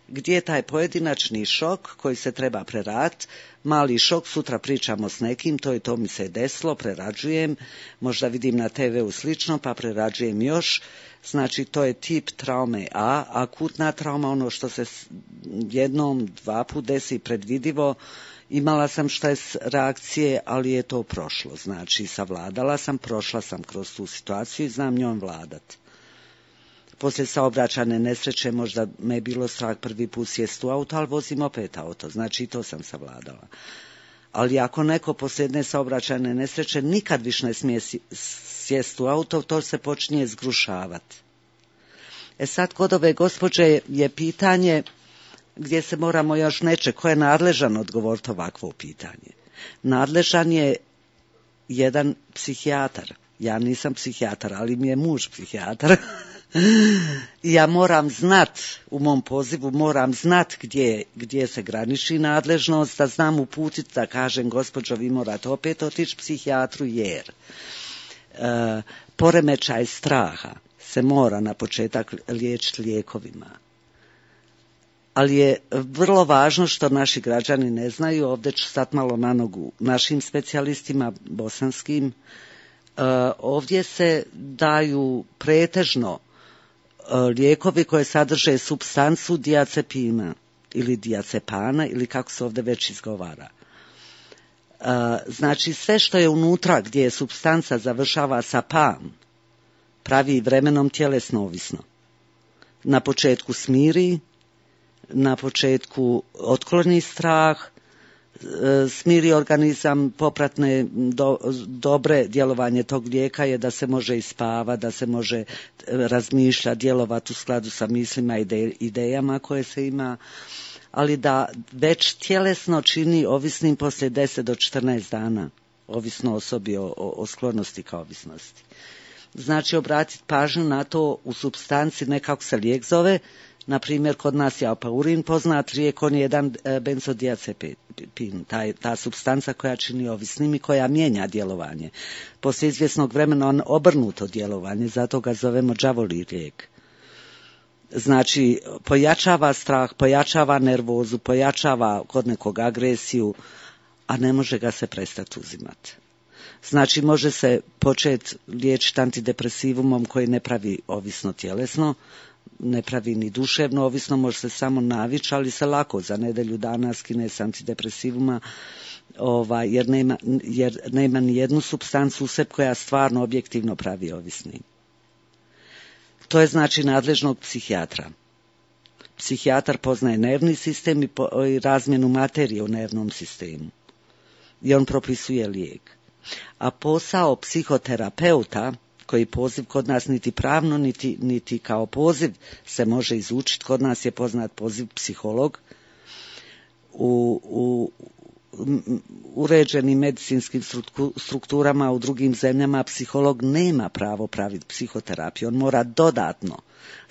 gdje je taj pojedinačni šok koji se treba preraditi, mali šok, sutra pričamo s nekim, to i to mi se desilo, prerađujem, možda vidim na te veu slično, pa prerađujem još, znači to je tip traume A, akutna trauma, ono što se jednom, dva put desi predvidivo, imala sam štres reakcije, ali je to prošlo, znači savladala sam, prošla sam kroz tu situaciju i znam njom vladati. Poslije saobraćajne nesreće možda me je bilo strah prvi put sjest u auto, ali vozim opet auto, znači i to sam savladala. Ali ako neko poslije jedne saobraćajne nesreće nikad više ne smije sjest u auto, to se počinje zgrušavati. E sad kod ove gospođe je pitanje gdje se moramo još neče, ko je nadležan odgovoriti ovakvo pitanje. Nadležan je jedan psihijatar. Ja nisam psihijatar, ali mi je muž psihijatar. Ja moram znat, u mom pozivu moram znat gdje, gdje se graniči nadležnost, da znam uputiti, da kažem gospođo vi morate opet otići psihijatru jer e, poremećaj straha se mora na početak liječiti lijekovima. Ali je vrlo važno što naši građani ne znaju, ovdje ću stati malo na nogu našim specijalistima bosanskim, uh, ovdje se daju pretežno uh, lijekovi koje sadrže supstancu diazepina ili diazepana ili kako se ovdje već izgovara. Uh, znači sve što je unutra gdje je supstanca završava sa pan, pravi vremenom tjelesno ovisno. Na početku smiri, na početku otkloni strah, smiri organizam, popratne do, dobre djelovanje tog lijeka je da se može ispavati, da se može razmišljati, djelovati u skladu sa mislima i idejama koje se ima, ali da već tjelesno čini ovisnim poslije deset do četrnaest dana, ovisno osobi o, o sklonosti ka ovisnosti. Znači obratiti pažnju na to u supstanci, ne kako se lijek zove, na primjer kod nas je apaurin poznat lijek, on je jedan benzodiazepin, taj, ta supstanca koja čini ovisnim i koja mijenja djelovanje. Poslije izvjesnog vremena on obrnuto djelovanje, zato ga zovemo đavolji lijek. Znači pojačava strah, pojačava nervozu, pojačava kod nekog agresiju, a ne može ga se prestati uzimati. Znači može se početi liječiti antidepresivumom koji ne pravi ovisno tjelesno, ne pravi ni duševno ovisno, može se samo navići, ali se lako za nedjelju dana skine s antidepresivuma, ovaj, jer, nema, jer nema ni jednu supstancu u sebi koja stvarno objektivno pravi ovisnim. To je znači nadležnog psihijatra. Psihijatar poznaje nervni sistem i, po, i razmjenu materije u nervnom sistemu. I on propisuje lijek. A posao psihoterapeuta, koji poziv kod nas niti pravno, niti, niti kao poziv se može izučiti, kod nas je poznat poziv psiholog, u, u uređenim medicinskim strukturama u drugim zemljama psiholog nema pravo praviti psihoterapiju, on mora dodatno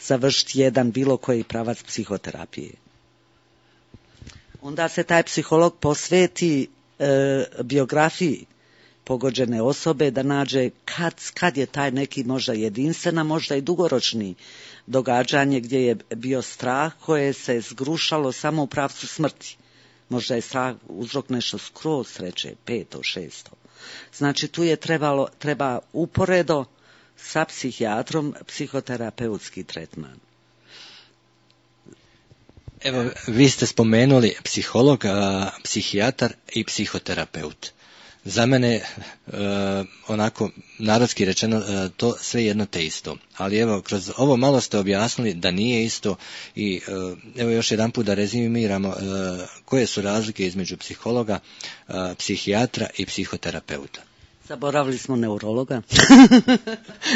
završiti jedan bilo koji pravac psihoterapije. Onda se taj psiholog posveti e, biografiji pogođene osobe, da nađe kad, kad je taj neki možda jedinstvena, možda i dugoročni događanje gdje je bio strah koje se zgrušalo samo u pravcu smrti. Možda je strah uzrok nešto skroz sreće, peto, šesto. Znači tu je trebalo, treba uporedo sa psihijatrom psihoterapeutski tretman. Evo, vi ste spomenuli psiholog, a, psihijatar i psihoterapeut. Za mene, e, onako, narodski rečeno, e, to sve jedno te isto. Ali evo, kroz ovo malo ste objasnili da nije isto i e, evo još jedan put da rezimiramo e, koje su razlike između psihologa, e, psihijatra i psihoterapeuta. Zaboravili smo neurologa.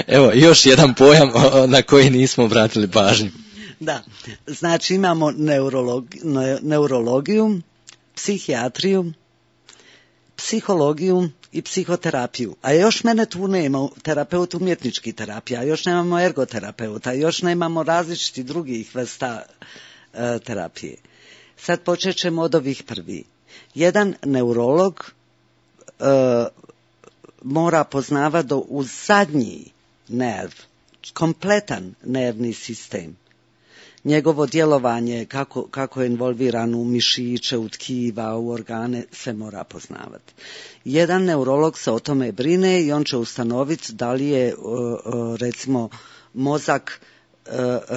Evo, još jedan pojam na koji nismo obratili pažnju. Da, znači imamo neurolog, ne, neurologiju, psihijatriju, psihologiju i psihoterapiju. A još mene tu nema, terapeut umjetnički terapija, još nemamo ergoterapeuta, još nemamo različitih drugih vrsta e, terapije. Sad počet ćemo od ovih prvi. Jedan neurolog e, mora poznavati do u zadnji nerv, kompletan nervni sistem. Njegovo djelovanje, kako, kako je involviran u mišiće, u tkiva, u organe, sve mora poznavati. Jedan neurolog se o tome brine i on će ustanoviti da li je, recimo, mozak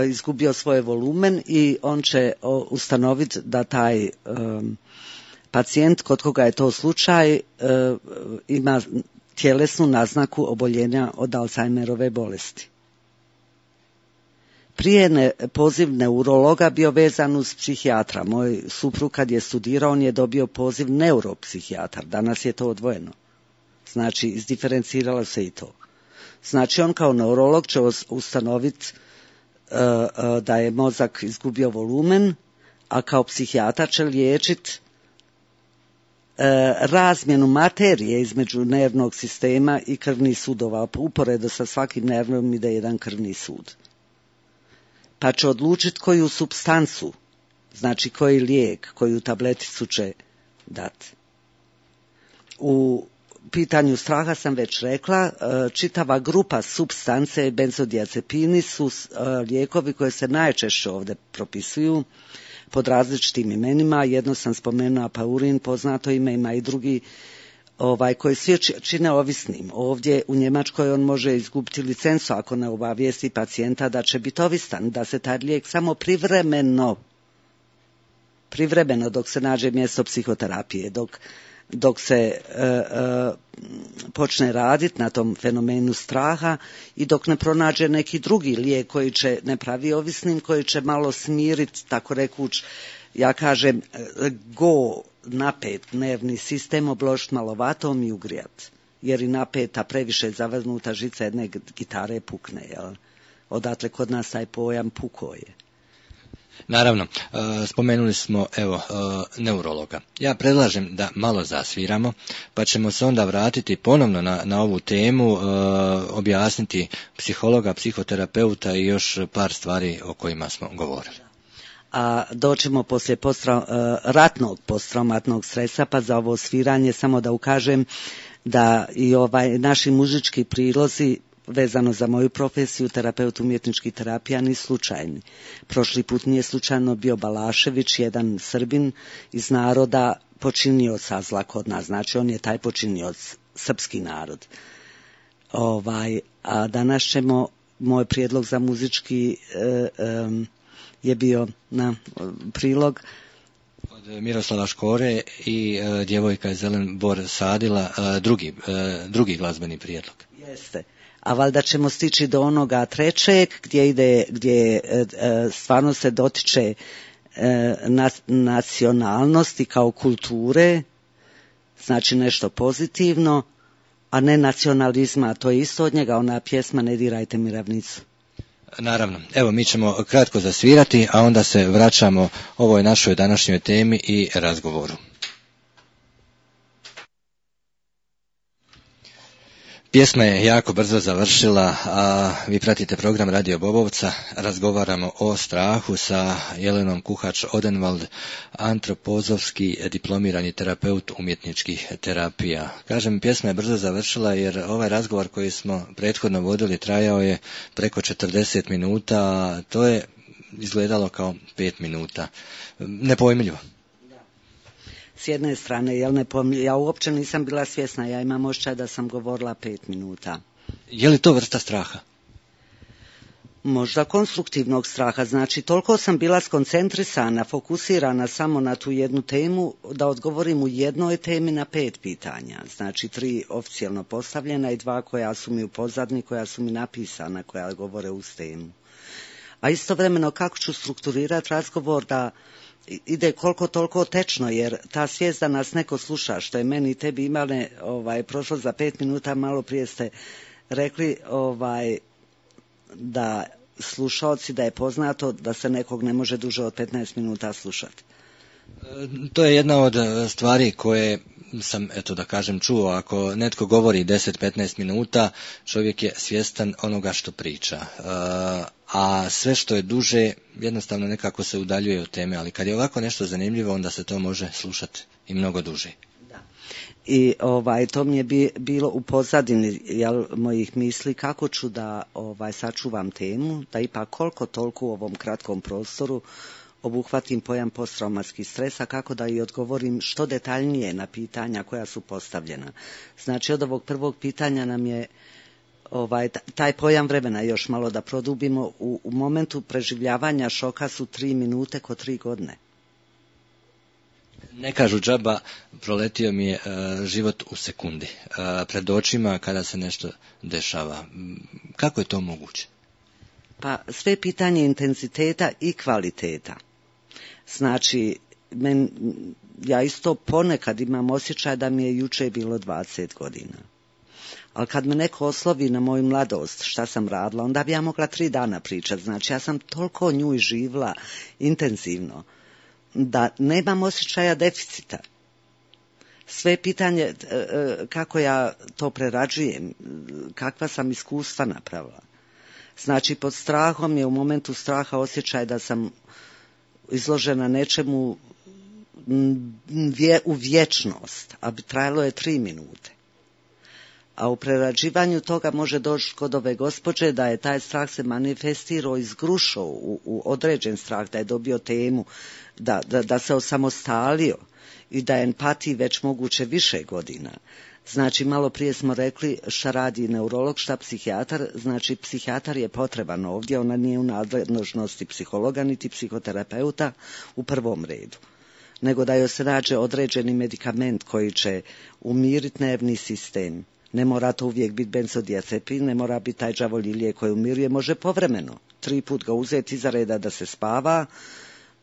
izgubio svoj volumen i on će ustanoviti da taj pacijent, kod koga je to slučaj, ima tjelesnu naznaku oboljenja od Alzheimerove bolesti. Prije ne, poziv neurologa bio vezan uz psihijatra. Moj suprug kad je studirao, on je dobio poziv neuropsihijatar. Danas je to odvojeno. Znači, izdiferenciralo se i to. Znači, on kao neurolog će ustanoviti uh, uh, da je mozak izgubio volumen, a kao psihijatar će liječiti uh, razmjenu materije između nervnog sistema i krvnih sudova. Uporedo sa svakim nervom ide jedan krvni sud. Pa će odlučiti koju supstancu, znači koji lijek, koju tableticu će dati. U pitanju straha sam već rekla, čitava grupa supstance, benzodiazepini su lijekovi koje se najčešće ovdje propisuju pod različitim imenima. Jedno sam spomenula Paurin, poznato ime, ima i drugi ovaj, koji svi čine ovisnim. Ovdje u Njemačkoj on može izgubiti licencu ako ne obavijesti pacijenta da će biti ovisan, da se taj lijek samo privremeno, privremeno dok se nađe mjesto psihoterapije, dok, dok se e, e, počne raditi na tom fenomenu straha i dok ne pronađe neki drugi lijek koji će ne pravi ovisnim, koji će malo smiriti, tako rekuć, ja kažem, go napet nervni sistem, obložiti malo vatom i ugrijat. Jer i napeta, previše zavrnuta žica jedne gitare pukne. Jel? Odatle kod nas taj pojam puko je. Naravno, spomenuli smo evo neurologa. Ja predlažem da malo zasviramo, pa ćemo se onda vratiti ponovno na, na ovu temu, objasniti psihologa, psihoterapeuta i još par stvari o kojima smo govorili. A doćemo poslije postra, ratnog posttraumatnog stresa, pa za ovo sviranje samo da ukažem da i ovaj naši muzički prilozi vezano za moju profesiju, terapeut umjetničkih terapija, ni slučajni. Prošli put nije slučajno bio Balašević, jedan Srbin iz naroda počinioca zla kod nas, znači on je taj počinioc, srpski narod. Ovaj, a danas ćemo, moj prijedlog za muzički e, e, je bio na prilog od Miroslava Škore i e, djevojka je Zelen Bor sadila, e, drugi, e, drugi glazbeni prijedlog. Jeste. A valjda ćemo stići do onoga trećeg gdje ide, gdje e, stvarno se dotiče e, na, nacionalnosti kao kulture, znači nešto pozitivno, a ne nacionalizma, to je isto od njega ona pjesma Ne dirajte mi ravnicu. Naravno, evo mi ćemo kratko zasvirati, a onda se vraćamo ovoj našoj današnjoj temi i razgovoru. Pjesma je jako brzo završila, a vi pratite program Radio Bobovca. Razgovaramo o strahu sa Jelenom Kuhač-Odenwald, antropozofski diplomirani terapeut umjetničkih terapija. Kažem, pjesma je brzo završila jer ovaj razgovor koji smo prethodno vodili trajao je preko četrdeset minuta, a to je izgledalo kao pet minuta. Nepojmljivo. S jedne strane, jel ne pomlj... ja uopće nisam bila svjesna, ja imam osjećaj da sam govorila pet minuta. Je li to vrsta straha? Možda konstruktivnog straha, znači toliko sam bila skoncentrisana, fokusirana samo na tu jednu temu, da odgovorim u jednoj temi na pet pitanja. Znači tri oficijalno postavljena i dva koja su mi u pozadini, koja su mi napisana, koja govore uz temu. A istovremeno kako ću strukturirati razgovor da ide koliko toliko tečno, jer ta svijest da nas neko sluša, što je meni i tebi imale ovaj, prošlo za pet minuta, malo prije ste rekli ovaj, da slušalci, da je poznato da se nekog ne može duže od petnaest minuta slušati. To je jedna od stvari koje sam, eto da kažem, čuo. Ako netko govori deset do petnaest minuta, čovjek je svjestan onoga što priča. A sve što je duže, jednostavno nekako se udaljuje od teme. Ali kad je ovako nešto zanimljivo, onda se to može slušati i mnogo duže. Da. I ovaj, to mi je bi, bilo u pozadini jel, mojih misli kako ću da ovaj, sačuvam temu, da ipak koliko toliko u ovom kratkom prostoru obuhvatim pojam posttraumatskih stresa, kako da i odgovorim što detaljnije na pitanja koja su postavljena. Znači od ovog prvog pitanja nam je ovaj, taj pojam vremena još malo da produbimo. U, u momentu preživljavanja šoka su tri minute ko tri godine. Ne kažu džaba, proletio mi je uh, život u sekundi. Uh, pred očima kada se nešto dešava. Kako je to moguće? Pa sve pitanje intenziteta i kvaliteta. Znači, men, ja isto ponekad imam osjećaj da mi je juče bilo dvadeset godina. Ali kad me neko oslovi na moju mladost, šta sam radila, onda bi ja mogla tri dana pričati. Znači, ja sam toliko nju živla intenzivno, da nemam osjećaja deficita. Sve pitanje kako ja to prerađujem, kakva sam iskustva napravila. Znači, pod strahom je u momentu straha osjećaj da sam izložena nečemu u vječnost, a bi trajalo je tri minute. A u prerađivanju toga može doći kod ove gospođe da je taj strah se manifestirao iz grušo u, u određen strah, da je dobio temu, da, da, da se osamostalio i da je empatiji već moguće više godina. Znači, malo prije smo rekli šta radi neurolog, šta psihijatar, znači psihijatar je potreban ovdje, ona nije u nadležnosti psihologa niti psihoterapeuta u prvom redu, nego da joj se nađe određeni medikament koji će umiriti nervni sistem. Ne mora to uvijek biti benzodiazepin, ne mora biti taj đavolji lijek koji umiruje, može povremeno. Tri put ga uzeti iza reda da se spava,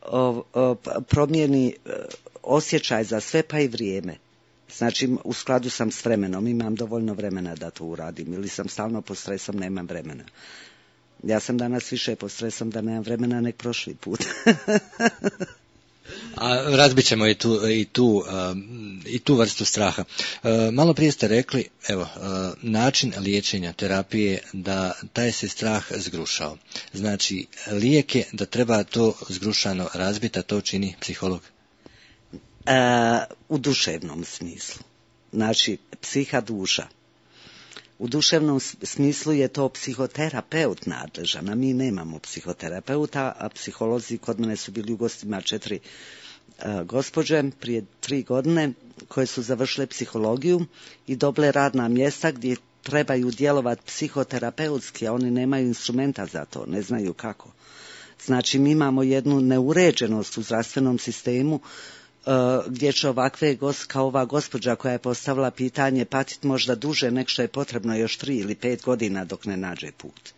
o, o, promijeni osjećaj za sve pa i vrijeme. Znači, u skladu sam s vremenom, imam dovoljno vremena da to uradim, ili sam stalno pod stresom, nemam vremena. Ja sam danas više pod stresom da nemam vremena nek prošli put. A razbit ćemo i tu, i tu, um, i tu vrstu straha. Uh, malo prije ste rekli, evo, uh, način liječenja terapije da taj se strah zgrušao. Znači, lijek je da treba to zgrušano razbiti, a to čini psiholog. Uh, u duševnom smislu. Znači, psiha duša. U duševnom smislu je to psihoterapeut nadležan, a mi nemamo psihoterapeuta, a psiholozi kod mene su bili u gostima četiri uh, gospođe prije tri godine koje su završile psihologiju i dobile radna mjesta gdje trebaju djelovati psihoterapeutski, a oni nemaju instrumenta za to, ne znaju kako. Znači, mi imamo jednu neuređenost u zdravstvenom sistemu gdje će ovakve, kao ova gospođa koja je postavila pitanje, patiti možda duže nek što je potrebno još tri ili pet godina dok ne nađe put.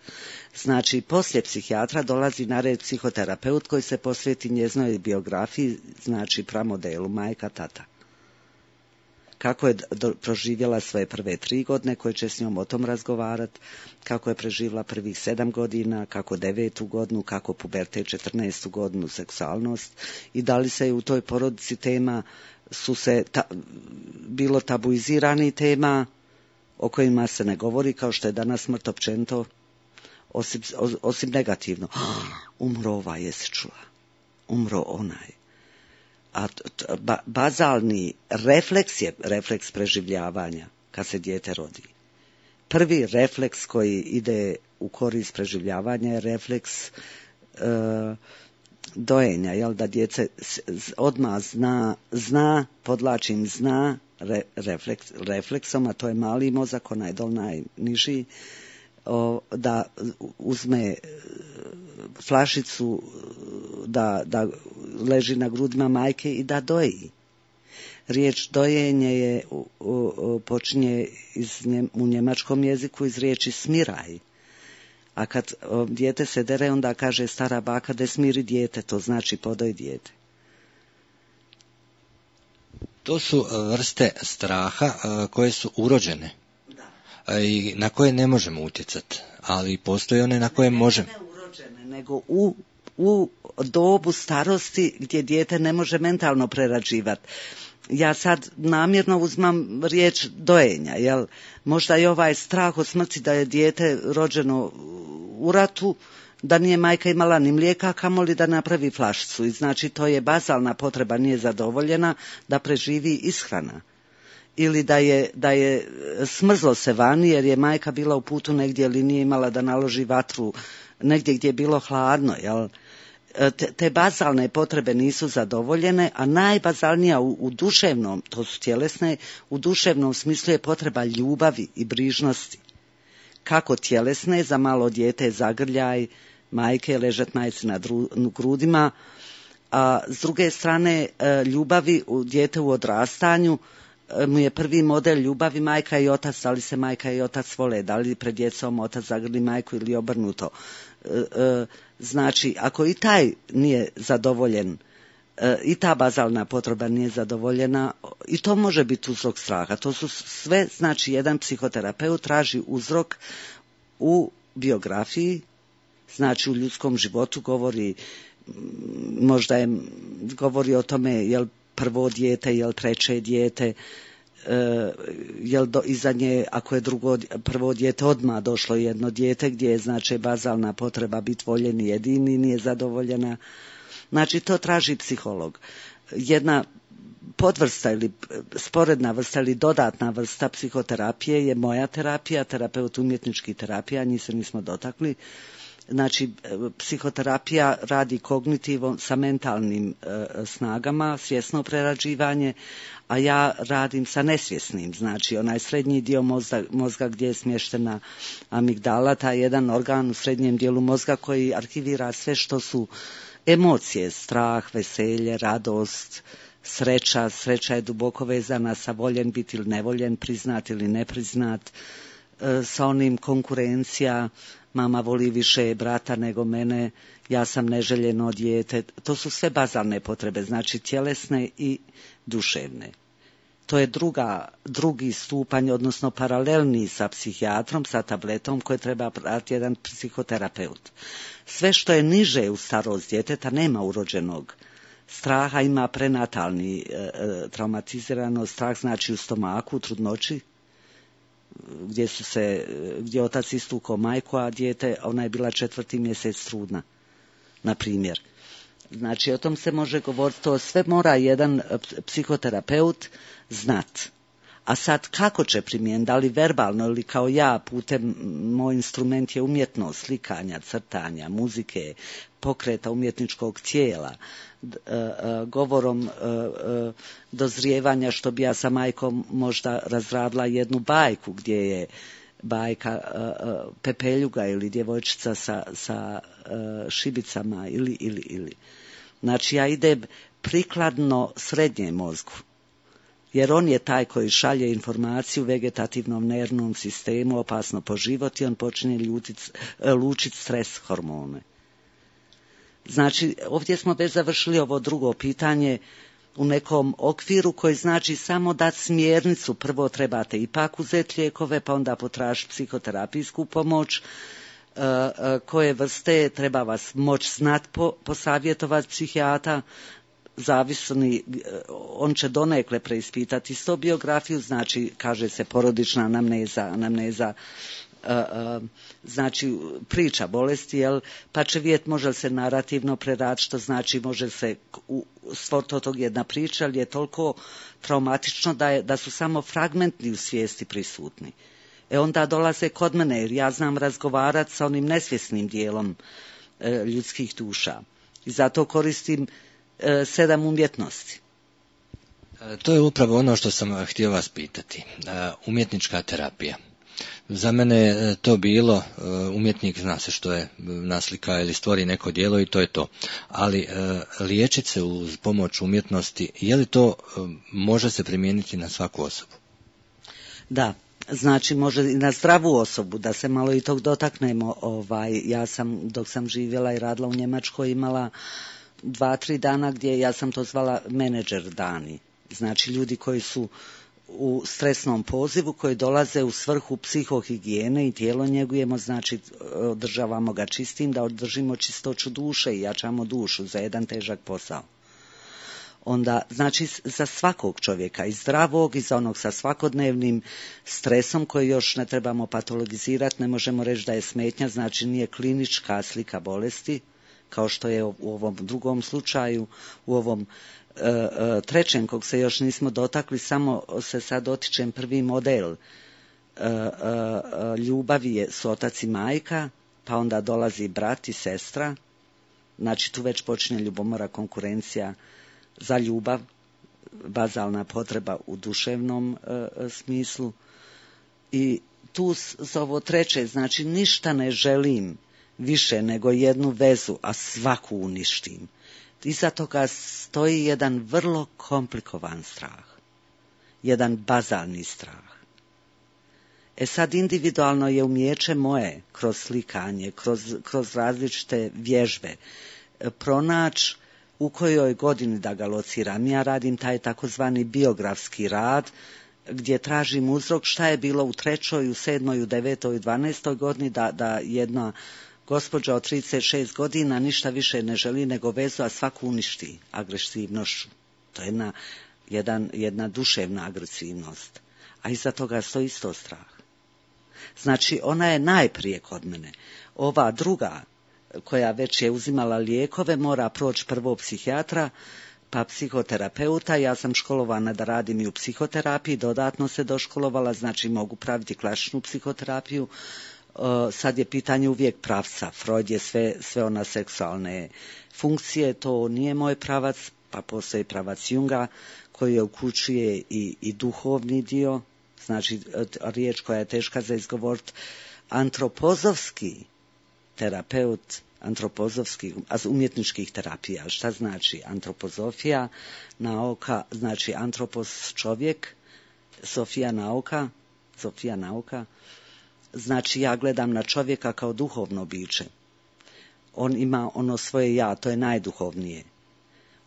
Znači, poslije psihijatra dolazi na red psihoterapeut koji se posveti njezinoj biografiji, znači pramodelu, majka, tata. Kako je do, proživjela svoje prve tri godine, koje će s njom o tom razgovarati, kako je preživjela prvih sedam godina, kako devetu godinu, kako pubertet četrnaestu godinu, seksualnost i da li se je u toj porodici tema, su se ta, bilo tabuizirani tema o kojima se ne govori, kao što je danas smrt općenito, osim, osim negativno. Umro ovaj, jesi čula? Umro onaj. A ba, bazalni refleks je refleks preživljavanja kad se dijete rodi. Prvi refleks koji ide u korist preživljavanja je refleks e, dojenja, jel, da djece odmah zna, zna, podlačim zna re, refleks, refleksom, a to je mali mozak, onaj dol najniži, o, da uzme flašicu, da, da leži na grudima majke i da doji. Riječ dojenje je, u, u, počinje iz, u njemačkom jeziku iz riječi smiraj. A kad o, dijete se dere, onda kaže stara baka da smiri dijete, to znači podoj dijete. To su vrste straha koje su urođene. Da. I na koje ne možemo utjecati, ali postoje one na koje možemo. Ne urođene, nego u, u dobu starosti gdje dijete ne može mentalno prerađivati. Ja sad namjerno uzmam riječ dojenja, jel? Možda je ovaj strah od smrti da je dijete rođeno u ratu, da nije majka imala ni mlijeka, kamoli da napravi flašicu. I znači to je bazalna potreba, nije zadovoljena, da preživi ishrana. Ili da je, da je smrzlo se vani jer je majka bila u putu negdje ili nije imala da naloži vatru negdje gdje je bilo hladno, jel? Te, te bazalne potrebe nisu zadovoljene, a najbazalnija u, u duševnom, to su tjelesne, u duševnom smislu je potreba ljubavi i brižnosti. Kako tjelesne, za malo dijete zagrljaj, majke ležat majci na dru, grudima, a s druge strane ljubavi u dijete u odrastanju mu je prvi model ljubavi majka i otac, da li se majka i otac vole, da li pred djecom otac zagrli majku ili obrnuto. Znači, ako i taj nije zadovoljen, i ta bazalna potreba nije zadovoljena, i to može biti uzrok straha. To su sve, znači, jedan psihoterapeut traži uzrok u biografiji, znači u ljudskom životu govori, možda je, govori o tome jel prvo dijete, jel treće dijete, jel do, iza nje, ako je drugo, prvo dijete odmah došlo jedno dijete gdje je znači bazalna potreba biti voljen i jedini nije zadovoljena. Znači to traži psiholog. Jedna podvrsta ili sporedna vrsta ili dodatna vrsta psihoterapije je moja terapija, terapeut umjetničkih terapija, njih se nismo dotakli. Znači, psihoterapija radi kognitivom sa mentalnim e, snagama, svjesno prerađivanje, a ja radim sa nesvjesnim, znači onaj srednji dio mozga, mozga gdje je smještena amigdala, taj jedan organ u srednjem dijelu mozga koji arhivira sve što su emocije, strah, veselje, radost, sreća. Sreća je duboko vezana sa voljen biti ili nevoljen, priznat ili nepriznat, e, sa onim konkurencija, mama voli više brata nego mene, ja sam neželjeno dijete. To su sve bazalne potrebe, znači tjelesne i duševne. To je druga, drugi stupanj, odnosno paralelni sa psihijatrom, sa tabletom koje treba pratiti jedan psihoterapeut. Sve što je niže u starost djeteta nema urođenog straha, ima prenatalni e, traumatizirano strah, znači u stomaku, u trudnoći, gdje su se, gdje otac istukao majku, a dijete, ona je bila četvrti mjesec trudna, na primjer. Znači, o tom se može govoriti, to sve mora jedan psihoterapeut znat. A sad, kako će primijeniti, da li verbalno ili kao ja, putem, moj instrument je umjetnost, slikanja, crtanja, muzike, pokreta umjetničkog tijela, govorom dozrijevanja, što bi ja sa majkom možda razradila jednu bajku gdje je bajka Pepeljuga ili djevojčica sa, sa šibicama ili, ili, ili. Znači ja idem prikladno srednjem mozgu, jer on je taj koji šalje informaciju vegetativnom nervnom sistemu, opasno po život, i on počinje ljutit, lučiti stres hormone. Znači, ovdje smo već završili ovo drugo pitanje u nekom okviru koji znači samo dati smjernicu. Prvo trebate ipak uzeti lijekove, pa onda potražiti psihoterapijsku pomoć. E, e, koje vrste treba vas moći znati, po, posavjetovati psihijata. Zavisni, on će donekle preispitati isto biografiju, znači kaže se porodična anamneza, anamneza Uh, uh, znači priča bolesti, jel, pa će vidjeti može li se narativno preraditi, što znači može se stvoriti od tog jedna priča, ali je toliko traumatično da, je, da su samo fragmenti u svijesti prisutni. E onda dolaze kod mene, jer ja znam razgovarati sa onim nesvjesnim dijelom uh, ljudskih duša. I zato koristim uh, sedam umjetnosti. To je upravo ono što sam htio vas pitati. Uh, umjetnička terapija. Za mene je to bilo, umjetnik zna se što je, naslika ili stvori neko djelo i to je to. Ali liječiti se uz pomoć umjetnosti, je li to može se primijeniti na svaku osobu? Da, znači može i na zdravu osobu, da se malo i tog dotaknemo. Ovaj, ja sam, dok sam živjela i radila u Njemačkoj, imala dva, tri dana gdje ja sam to zvala menadžer dani. Znači ljudi koji su u stresnom pozivu, koji dolaze u svrhu psihohigijene i tijelo njegujemo, znači održavamo ga čistim, da održimo čistoću duše i jačamo dušu za jedan težak posao. Onda, znači, za svakog čovjeka, i zdravog i za onog sa svakodnevnim stresom koji još ne trebamo patologizirati, ne možemo reći da je smetnja, znači nije klinička slika bolesti, kao što je u ovom drugom slučaju, u ovom trećem, kog se još nismo dotakli, samo se sad dotičem prvi model. Ljubavi je su otac i majka, pa onda dolazi brat i sestra, znači tu već počinje ljubomora, konkurencija za ljubav, bazalna potreba u duševnom smislu. I tu za ovo treće, znači ništa ne želim više nego jednu vezu, a svaku uništim. Iza toga stoji jedan vrlo komplikovan strah, jedan bazalni strah. E sad individualno je umijeće moje, kroz slikanje, kroz, kroz različite vježbe, pronaći u kojoj godini da ga lociram. Ja radim taj takozvani biografski rad, gdje tražim uzrok šta je bilo u trećoj, u sedmoj, u devetoj, u dvanaestoj godini, da, da jedna gospođa od trideset šest godina ništa više ne želi nego vezu, a svaku uništi agresivnošću. To je jedna, jedan, jedna duševna agresivnost. A iza toga stoji isto strah. Znači, ona je najprije kod mene. Ova druga, koja već je uzimala lijekove, mora proći prvo psihijatra, pa psihoterapeuta. Ja sam školovana da radim i u psihoterapiji, dodatno se doškolovala, znači mogu praviti klasičnu psihoterapiju. Sad je pitanje uvijek pravca. Freud je sve, sve ona seksualne funkcije, to nije moj pravac, pa postoji pravac Junga koji je uključuje i, i duhovni dio, znači riječ koja je teška za izgovoriti, antropozovski terapeut, antropozovski, umjetničkih terapija. Šta znači antropozofija? Nauka, znači antropos čovjek, Sofija nauka, Sofija nauka, znači ja gledam na čovjeka kao duhovno biće. On ima ono svoje ja, to je najduhovnije.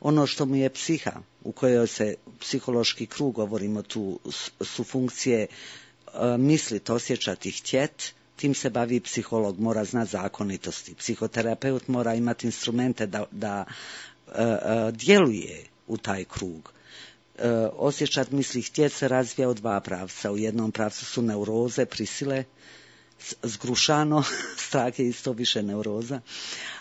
Ono što mu je psiha, u kojoj se psihološki krug, govorimo tu, su funkcije e, mislit, osjećati, htjet, tim se bavi psiholog, mora znati zakonitosti. Psihoterapeut mora imati instrumente da, da e, e, djeluje u taj krug. E, osjećat, misli, htjet se razvija u dva pravca. U jednom pravcu su neuroze, prisile, zgrušano, strah je isto više neuroza,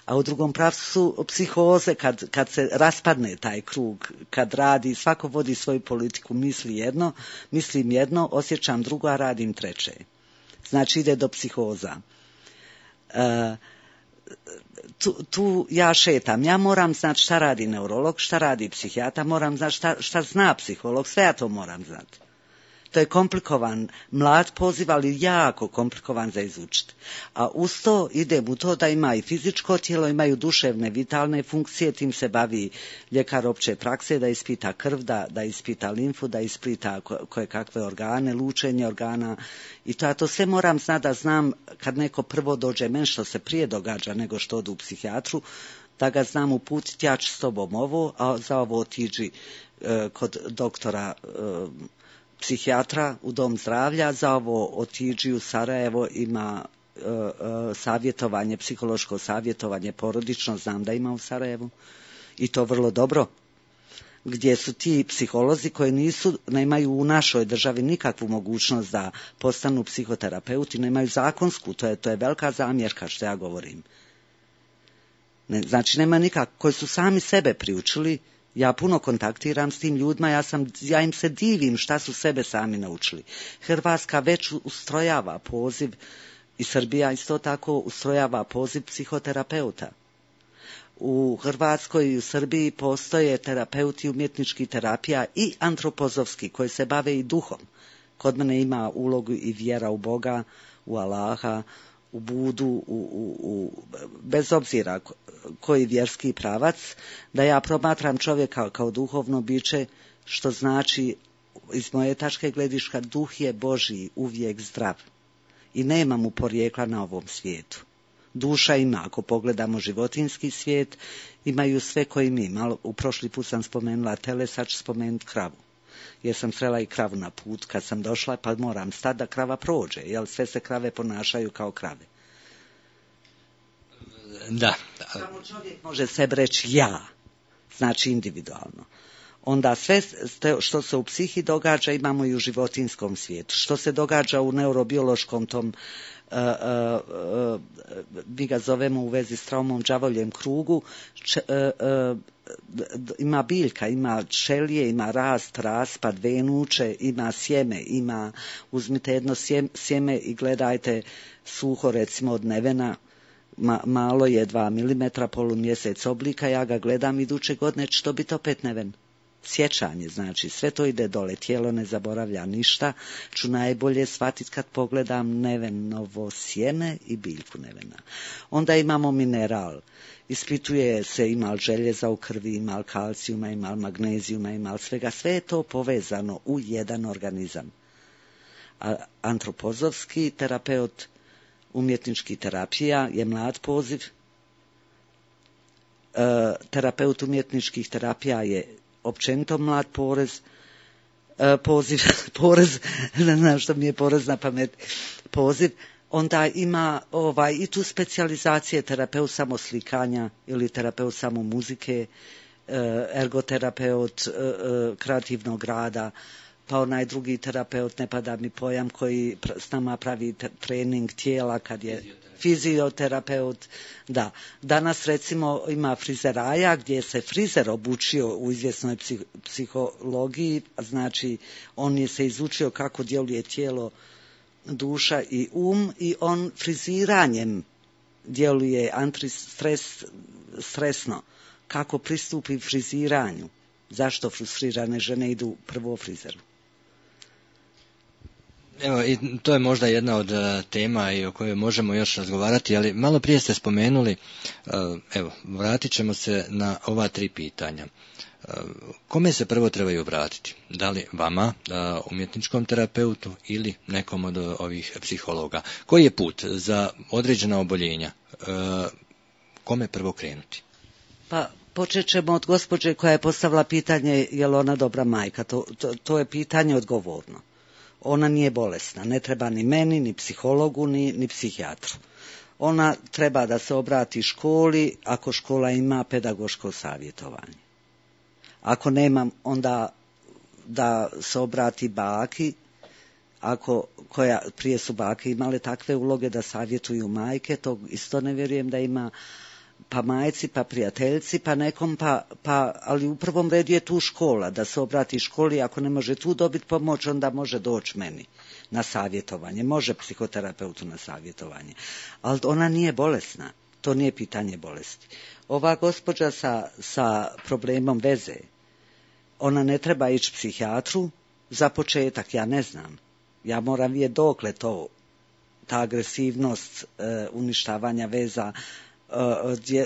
a u drugom pravcu su psihoze, kad, kad se raspadne taj krug, kad radi, svako vodi svoju politiku, misli jedno, mislim jedno, osjećam drugo, a radim treće. Znači ide do psihoza. E, tu, tu ja šetam, ja moram znati šta radi neurolog, šta radi psihijatra, moram znati šta, šta zna psiholog, sve ja to moram znati. To je komplikovan, mlad poziv, ali jako komplikovan za izučiti. A uz to idem u to da ima i fizičko tijelo, imaju duševne, vitalne funkcije, tim se bavi ljekar opće prakse, da ispita krv, da, da ispita limfu, da ispita koje kakve organe, lučenje organa. I to ja to sve moram znati da znam kad neko prvo dođe meni, što se prije događa nego što odu u psihijatru, da ga znam uputiti, ja ću s tobom ovo, a za ovo otiđi e, kod doktora e, psihijatra u dom zdravlja, za ovo otiđi u Sarajevo, ima e, e, savjetovanje, psihološko savjetovanje porodično, znam da ima u Sarajevu i to vrlo dobro, gdje su ti psiholozi koji nisu, nemaju u našoj državi nikakvu mogućnost da postanu psihoterapeuti, nemaju zakonsku, to je, to je velika zamjerka što ja govorim. Ne, znači nema nikako, koji su sami sebe priučili. Ja puno kontaktiram s tim ljudima, ja, sam, ja im se divim šta su sebe sami naučili. Hrvatska već ustrojava poziv, i Srbija isto tako ustrojava poziv psihoterapeuta. U Hrvatskoj i u Srbiji postoje terapeuti umjetničkih terapija i antropozovski koji se bave i duhom. Kod mene ima ulogu i vjera u Boga, u Allaha, u Budu, u, u, u, bez obzira koji vjerski pravac, da ja promatram čovjeka kao duhovno biće, što znači iz moje tačke gledišta duh je Božji uvijek zdrav i nema mu porijekla na ovom svijetu. Duša ima, ako pogledamo životinjski svijet, imaju sve koji mi. Malo, u prošli put sam spomenula tele, sad ću spomenuti kravu. Jer sam srela i kravu na put kad sam došla, pa moram stati da krava prođe, jer sve se krave ponašaju kao krave. Da. Samo čovjek može sebi reći ja, znači individualno. Onda sve što se u psihi događa imamo i u životinjskom svijetu. Što se događa u neurobiološkom tom, uh, uh, uh, mi ga zovemo u vezi s traumom đavoljem krugu, č, uh, uh, ima biljka, ima čelije, ima rast, raspad, venuče, ima sjeme, ima, uzmite jedno sjeme i gledajte suho, recimo od nevena, ma, malo je dva milimetra, polumjesec oblika, ja ga gledam iduće godine, će to biti opet neven. Sjećanje, znači sve to ide dole, tijelo ne zaboravlja ništa, ću najbolje shvatiti kad pogledam nevenovo sjeme i biljku nevena. Onda imamo mineral, ispituje se ima li željeza u krvi, ima li kalcijuma, ima li magnezijuma, ima li svega, sve je to povezano u jedan organizam. A antropozovski terapeut umjetničkih terapija je mlad poziv, e, terapeut umjetničkih terapija je općenito mlad porez, e, poziv, porez, ne znam što mi je porez na pamet, poziv, onda ima ovaj, i tu specijalizacije terapeut samo slikanja ili terapeut samo muzike, e, ergoterapeut e, e, kreativnog rada, pa onaj drugi terapeut, ne pada mi pojam, koji s nama pravi trening tijela kad je fizioterapeut. Da. Danas recimo ima frizeraja gdje se frizer obučio u izvjesnoj psih, psihologiji, znači on je se izučio kako djeluje tijelo, duša i um i on friziranjem djeluje antistres, stresno. Kako pristupi friziranju? Zašto frustrirane žene idu prvo frizeru? Evo, i to je možda jedna od uh, tema i o kojoj možemo još razgovarati, ali malo prije ste spomenuli, uh, evo, vratit ćemo se na ova tri pitanja. Uh, kome se prvo trebaju obratiti? Da li vama, uh, umjetničkom terapeutu ili nekom od uh, ovih psihologa? Koji je put za određena oboljenja? Uh, kome prvo krenuti? Pa počet ćemo od gospođe koja je postavila pitanje je li ona dobra majka. To, to, to je pitanje odgovorno. Ona nije bolesna, ne treba ni meni, ni psihologu, ni, ni psihijatru. Ona treba da se obrati školi, ako škola ima pedagoško savjetovanje. Ako nemam, onda da se obrati baki, ako, koja, prije su bake imale takve uloge da savjetuju majke, to isto ne vjerujem da ima, pa majci, pa prijateljci, pa nekom, pa, pa, ali u prvom redu je tu škola, da se obrati školi, ako ne može tu dobiti pomoć, onda može doći meni na savjetovanje, može psihoterapeutu na savjetovanje, ali ona nije bolesna, to nije pitanje bolesti. Ova gospođa sa, sa problemom veze, ona ne treba ići psihijatru, za početak, ja ne znam, ja moram vidjeti dokle to, ta agresivnost e, uništavanja veza,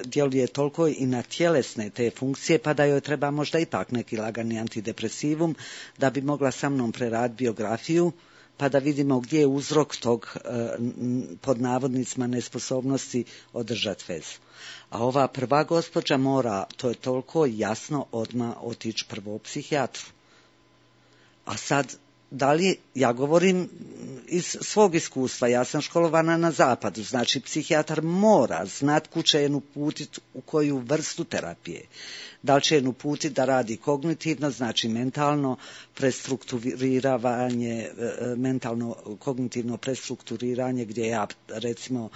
djeluje toliko i na tjelesne te funkcije, pa da joj treba možda ipak neki lagani antidepresivum da bi mogla sa mnom preraditi biografiju, pa da vidimo gdje je uzrok tog pod navodnicima nesposobnosti održati vezu. A ova prva gospođa mora, to je toliko jasno, odmah otići prvo psihijatru. A sad, da li, ja govorim iz svog iskustva, ja sam školovana na zapadu, znači psihijatar mora znat kuda će je uputiti u koju vrstu terapije. Da li će je uputiti da radi kognitivno, znači mentalno prestrukturiranje, mentalno kognitivno prestrukturiranje gdje ja recimo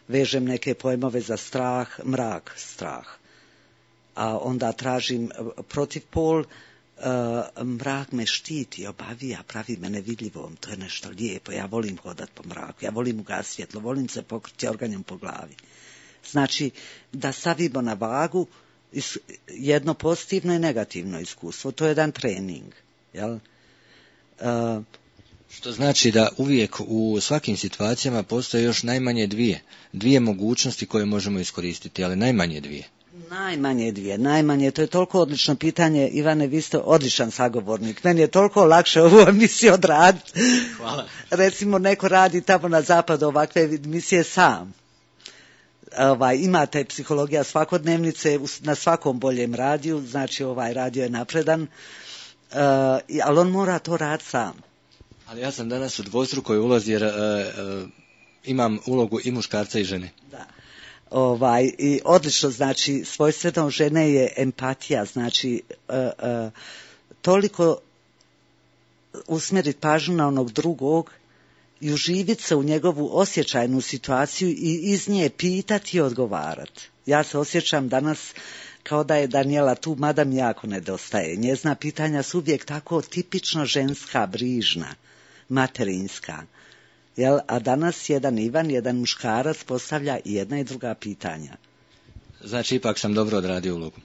vežem neke pojmove za strah, mrak, strah. A onda tražim protivpol. Uh, mrak me štiti, obavija, pravi me nevidljivom, to je nešto lijepo, ja volim hodat po mraku, ja volim ugasiti svjetlo, volim se pokriti organjem po glavi. Znači, da stavimo na vagu jedno pozitivno i negativno iskustvo, to je jedan trening. Jel? Uh, Što znači da uvijek u svakim situacijama postoje još najmanje dvije, dvije mogućnosti koje možemo iskoristiti, ali najmanje dvije. Najmanje dvije, najmanje, to je toliko odlično pitanje, Ivane, vi ste odličan sagovornik, meni je toliko lakše ovu emisiju odraditi. Hvala. Recimo neko radi tamo na zapadu ovakve emisije sam. Ovaj, imate psihologija svakodnevnice na svakom boljem radiju, znači ovaj radio je napredan, uh, ali on mora to raditi sam. Ali ja sam danas u dvostrukoj ulozi jer uh, uh, imam ulogu i muškarca i žene. Da. Ovaj, i odlično, znači svojstveno žene je empatija, znači uh, uh, toliko usmjeriti pažnju na onog drugog i uživiti se u njegovu osjećajnu situaciju i iz nje pitati i odgovarati. Ja se osjećam danas kao da je Daniela tu, mada mi jako nedostaje. Njezina pitanja su uvijek tako tipično ženska, brižna, materinska. Jel? A danas jedan Ivan, jedan muškarac postavlja i jedna i druga pitanja. Znači, ipak sam dobro odradio ulogu.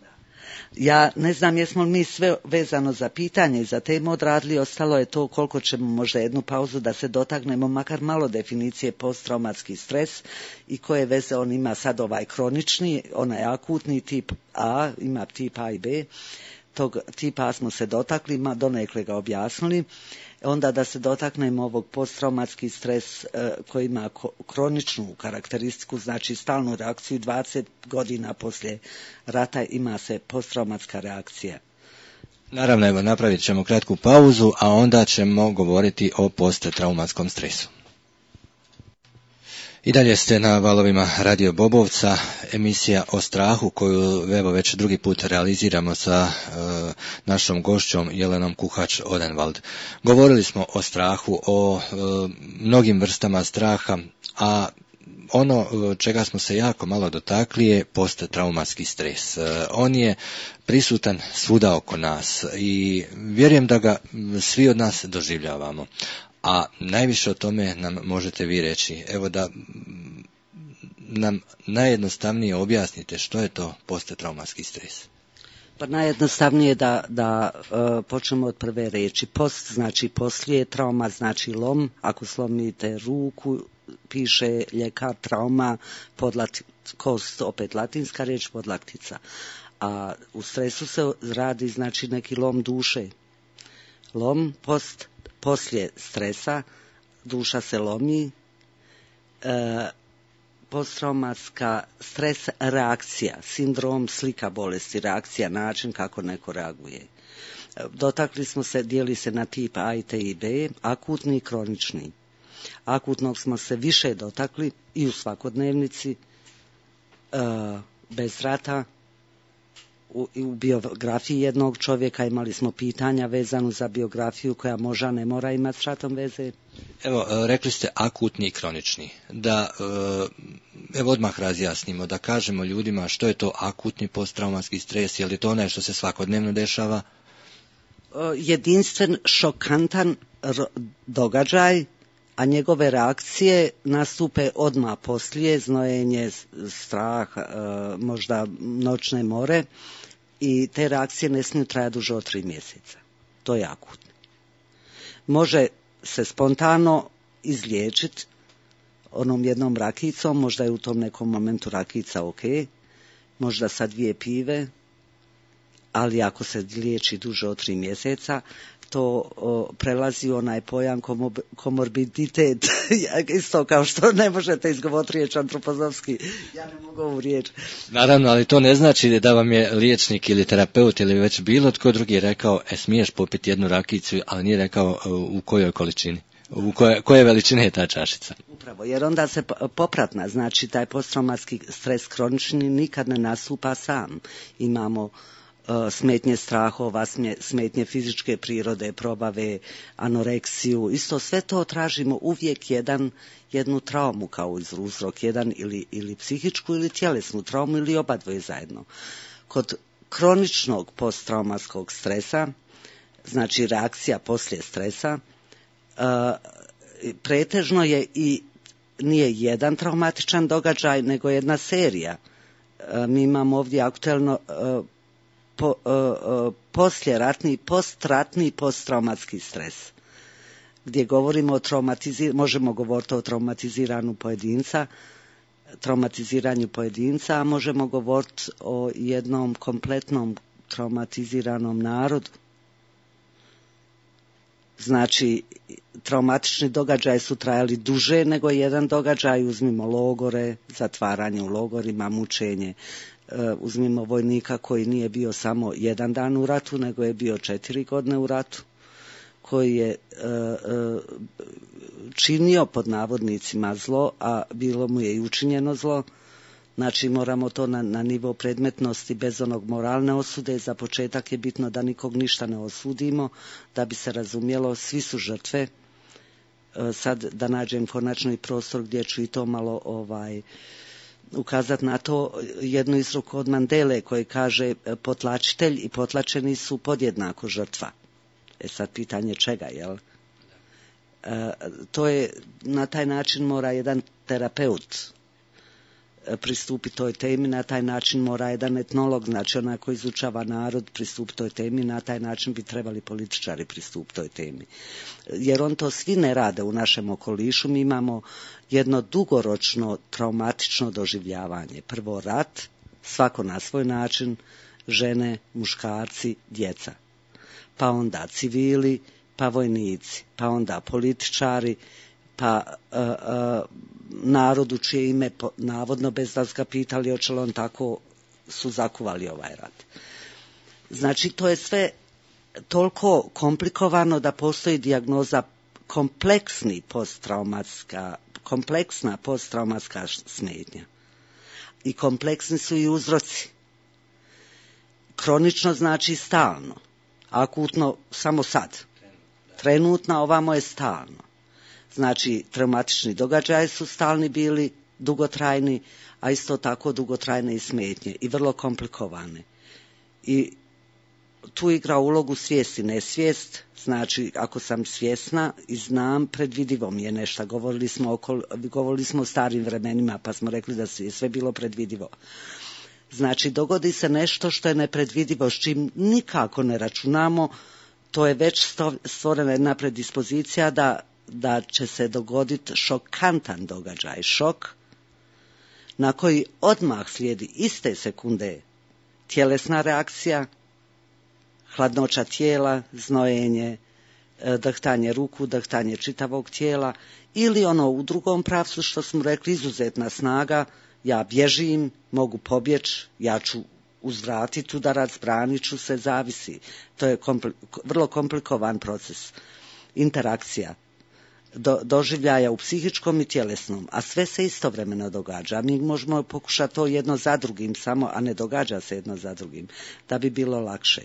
Ja ne znam jesmo li mi sve vezano za pitanje i za temu odradili, ostalo je to koliko ćemo možda jednu pauzu da se dotaknemo makar malo definicije posttraumatski stres i koje veze on ima sad ovaj kronični, onaj akutni tip A, ima tip A i B, tog tipa A smo se dotakli, donekle ga objasnili. Onda da se dotaknemo ovog posttraumatski stres e, koji ima kroničnu karakteristiku, znači stalnu reakciju, dvadeset godina poslije rata ima se posttraumatska reakcija. Naravno, evo, napravit ćemo kratku pauzu, a onda ćemo govoriti o posttraumatskom stresu. I dalje ste na valovima Radio Bobovca, emisija o strahu koju evo već drugi put realiziramo sa e, našom gošćom Jelenom Kuhač-Odenwald. Govorili smo o strahu, o e, mnogim vrstama straha, a ono čega smo se jako malo dotakli je posttraumatski stres. On je prisutan svuda oko nas i vjerujem da ga svi od nas doživljavamo. A najviše o tome nam možete vi reći. Evo da nam najjednostavnije objasnite što je to posttraumatski stres. Pa najjednostavnije da, da uh, počnemo od prve riječi. Post znači poslije, trauma znači lom. Ako slomite ruku, piše ljekar trauma, podlat, kost, opet latinska riječ, podlaktica. A u stresu se radi znači neki lom duše. Lom post, poslije stresa, duša se lomi, e, posttraumatska stres reakcija, sindrom, slika bolesti, reakcija, način kako neko reaguje. Dotakli smo se, dijeli se na tip A i T i B, akutni i kronični. Akutnog smo se više dotakli i u svakodnevnici, e, bez rata, u, u biografiji jednog čovjeka imali smo pitanja vezanu za biografiju koja možda ne mora imati s ratom veze. Evo, rekli ste akutni i kronični. Da, evo odmah razjasnimo, da kažemo ljudima što je to akutni posttraumatski stres, je li to onaj što se svakodnevno dešava? Jedinstven, šokantan događaj, a njegove reakcije nastupe odmah poslije, znojenje, strah, možda noćne more, i te reakcije ne smiju trajati duže od tri mjeseca. To je akutno. Može se spontano izliječiti onom jednom rakicom, možda je u tom nekom momentu rakica ok, možda sa dvije pive, ali ako se liječi duže od tri mjeseca, to o, prelazi onaj pojam komob, komorbiditet, isto kao što ne možete izgovoriti riječ antropozofski, ja ne mogu ovu riječ. Naravno, ali to ne znači da vam je liječnik ili terapeut ili već bilo tko drugi rekao, e, smiješ popiti jednu rakicu, ali nije rekao u kojoj količini, u koje, koje veličine je ta čašica. Upravo, jer onda se popratna, znači taj posttraumatski stres kronični nikad ne nastupa sam. Imamo smetnje strahova, smetnje fizičke prirode, probave, anoreksiju, isto sve to tražimo uvijek jedan, jednu traumu kao uzrok, jedan ili, ili psihičku ili tjelesnu traumu ili oba dvoje zajedno. Kod kroničnog posttraumatskog stresa, znači reakcija poslije stresa, pretežno je i nije jedan traumatičan događaj, nego jedna serija. Mi imamo ovdje aktuelno Po, uh, uh, posljeratni, postratni posttraumatski stres, gdje govorimo o traumatiziranju, možemo govoriti o traumatiziranu pojedinca, traumatiziranju pojedinca, a možemo govoriti o jednom kompletnom traumatiziranom narodu. Znači, traumatični događaji su trajali duže nego jedan događaj, uzmimo logore, zatvaranje u logorima, mučenje. Uzmimo vojnika koji nije bio samo jedan dan u ratu, nego je bio četiri godine u ratu, koji je uh, uh, činio pod navodnicima zlo, a bilo mu je i učinjeno zlo. Znači moramo to na, na nivo predmetnosti bez onog moralne osude. Za početak je bitno da nikog ništa ne osudimo, da bi se razumjelo, svi su žrtve. Uh, sad da nađem konačno i prostor gdje ću i to malo ovaj ukazati na to, jednu izreku od Mandele koji kaže potlačitelj i potlačeni su podjednako žrtva. E sad pitanje čega, jel? E, to je, na taj način mora jedan terapeut pristupiti toj temi, na taj način mora jedan etnolog, znači onaj koji izučava narod, pristupiti toj temi, na taj način bi trebali političari pristupiti toj temi. Jer on to svi ne rade u našem okolišu, mi imamo jedno dugoročno traumatično doživljavanje. Prvo rat, svako na svoj način, žene, muškarci, djeca. Pa onda civili, pa vojnici, pa onda političari, pa uh, uh, narodu čije ime po, navodno bez da su ga pitali hoće li on tako su zakuvali ovaj rat. Znači to je sve toliko komplikovano da postoji dijagnoza kompleksni posttraumatska kompleksna posttraumatska smetnja. I kompleksni su i uzroci. Kronično znači stalno, akutno samo sad. Trenutno, ovamo je stalno. Znači, traumatični događaji su stalni bili, dugotrajni, a isto tako dugotrajne i smetnje i vrlo komplikovane. I tu igra ulogu svijest i nesvijest, znači ako sam svjesna i znam, predvidivo mi je nešto. Govorili smo, oko, govorili smo o starim vremenima, pa smo rekli da je sve bilo predvidivo. Znači, dogodi se nešto što je nepredvidivo, s čim nikako ne računamo, to je već stvorena jedna predispozicija da, da će se dogoditi šokantan događaj, šok, na koji odmah slijedi iste sekunde tjelesna reakcija, hladnoća tijela, znojenje, drhtanje ruku, drhtanje čitavog tijela, ili ono u drugom pravcu što smo rekli, izuzetna snaga, ja bježim, mogu pobjeći, ja ću uzvratiti udarac, branit ću se, zavisi. To je kompli- vrlo komplikovan proces, interakcija, do, doživljaja u psihičkom i tjelesnom, a sve se istovremeno događa. Mi možemo pokušati to jedno za drugim samo, a ne događa se jedno za drugim, da bi bilo lakše.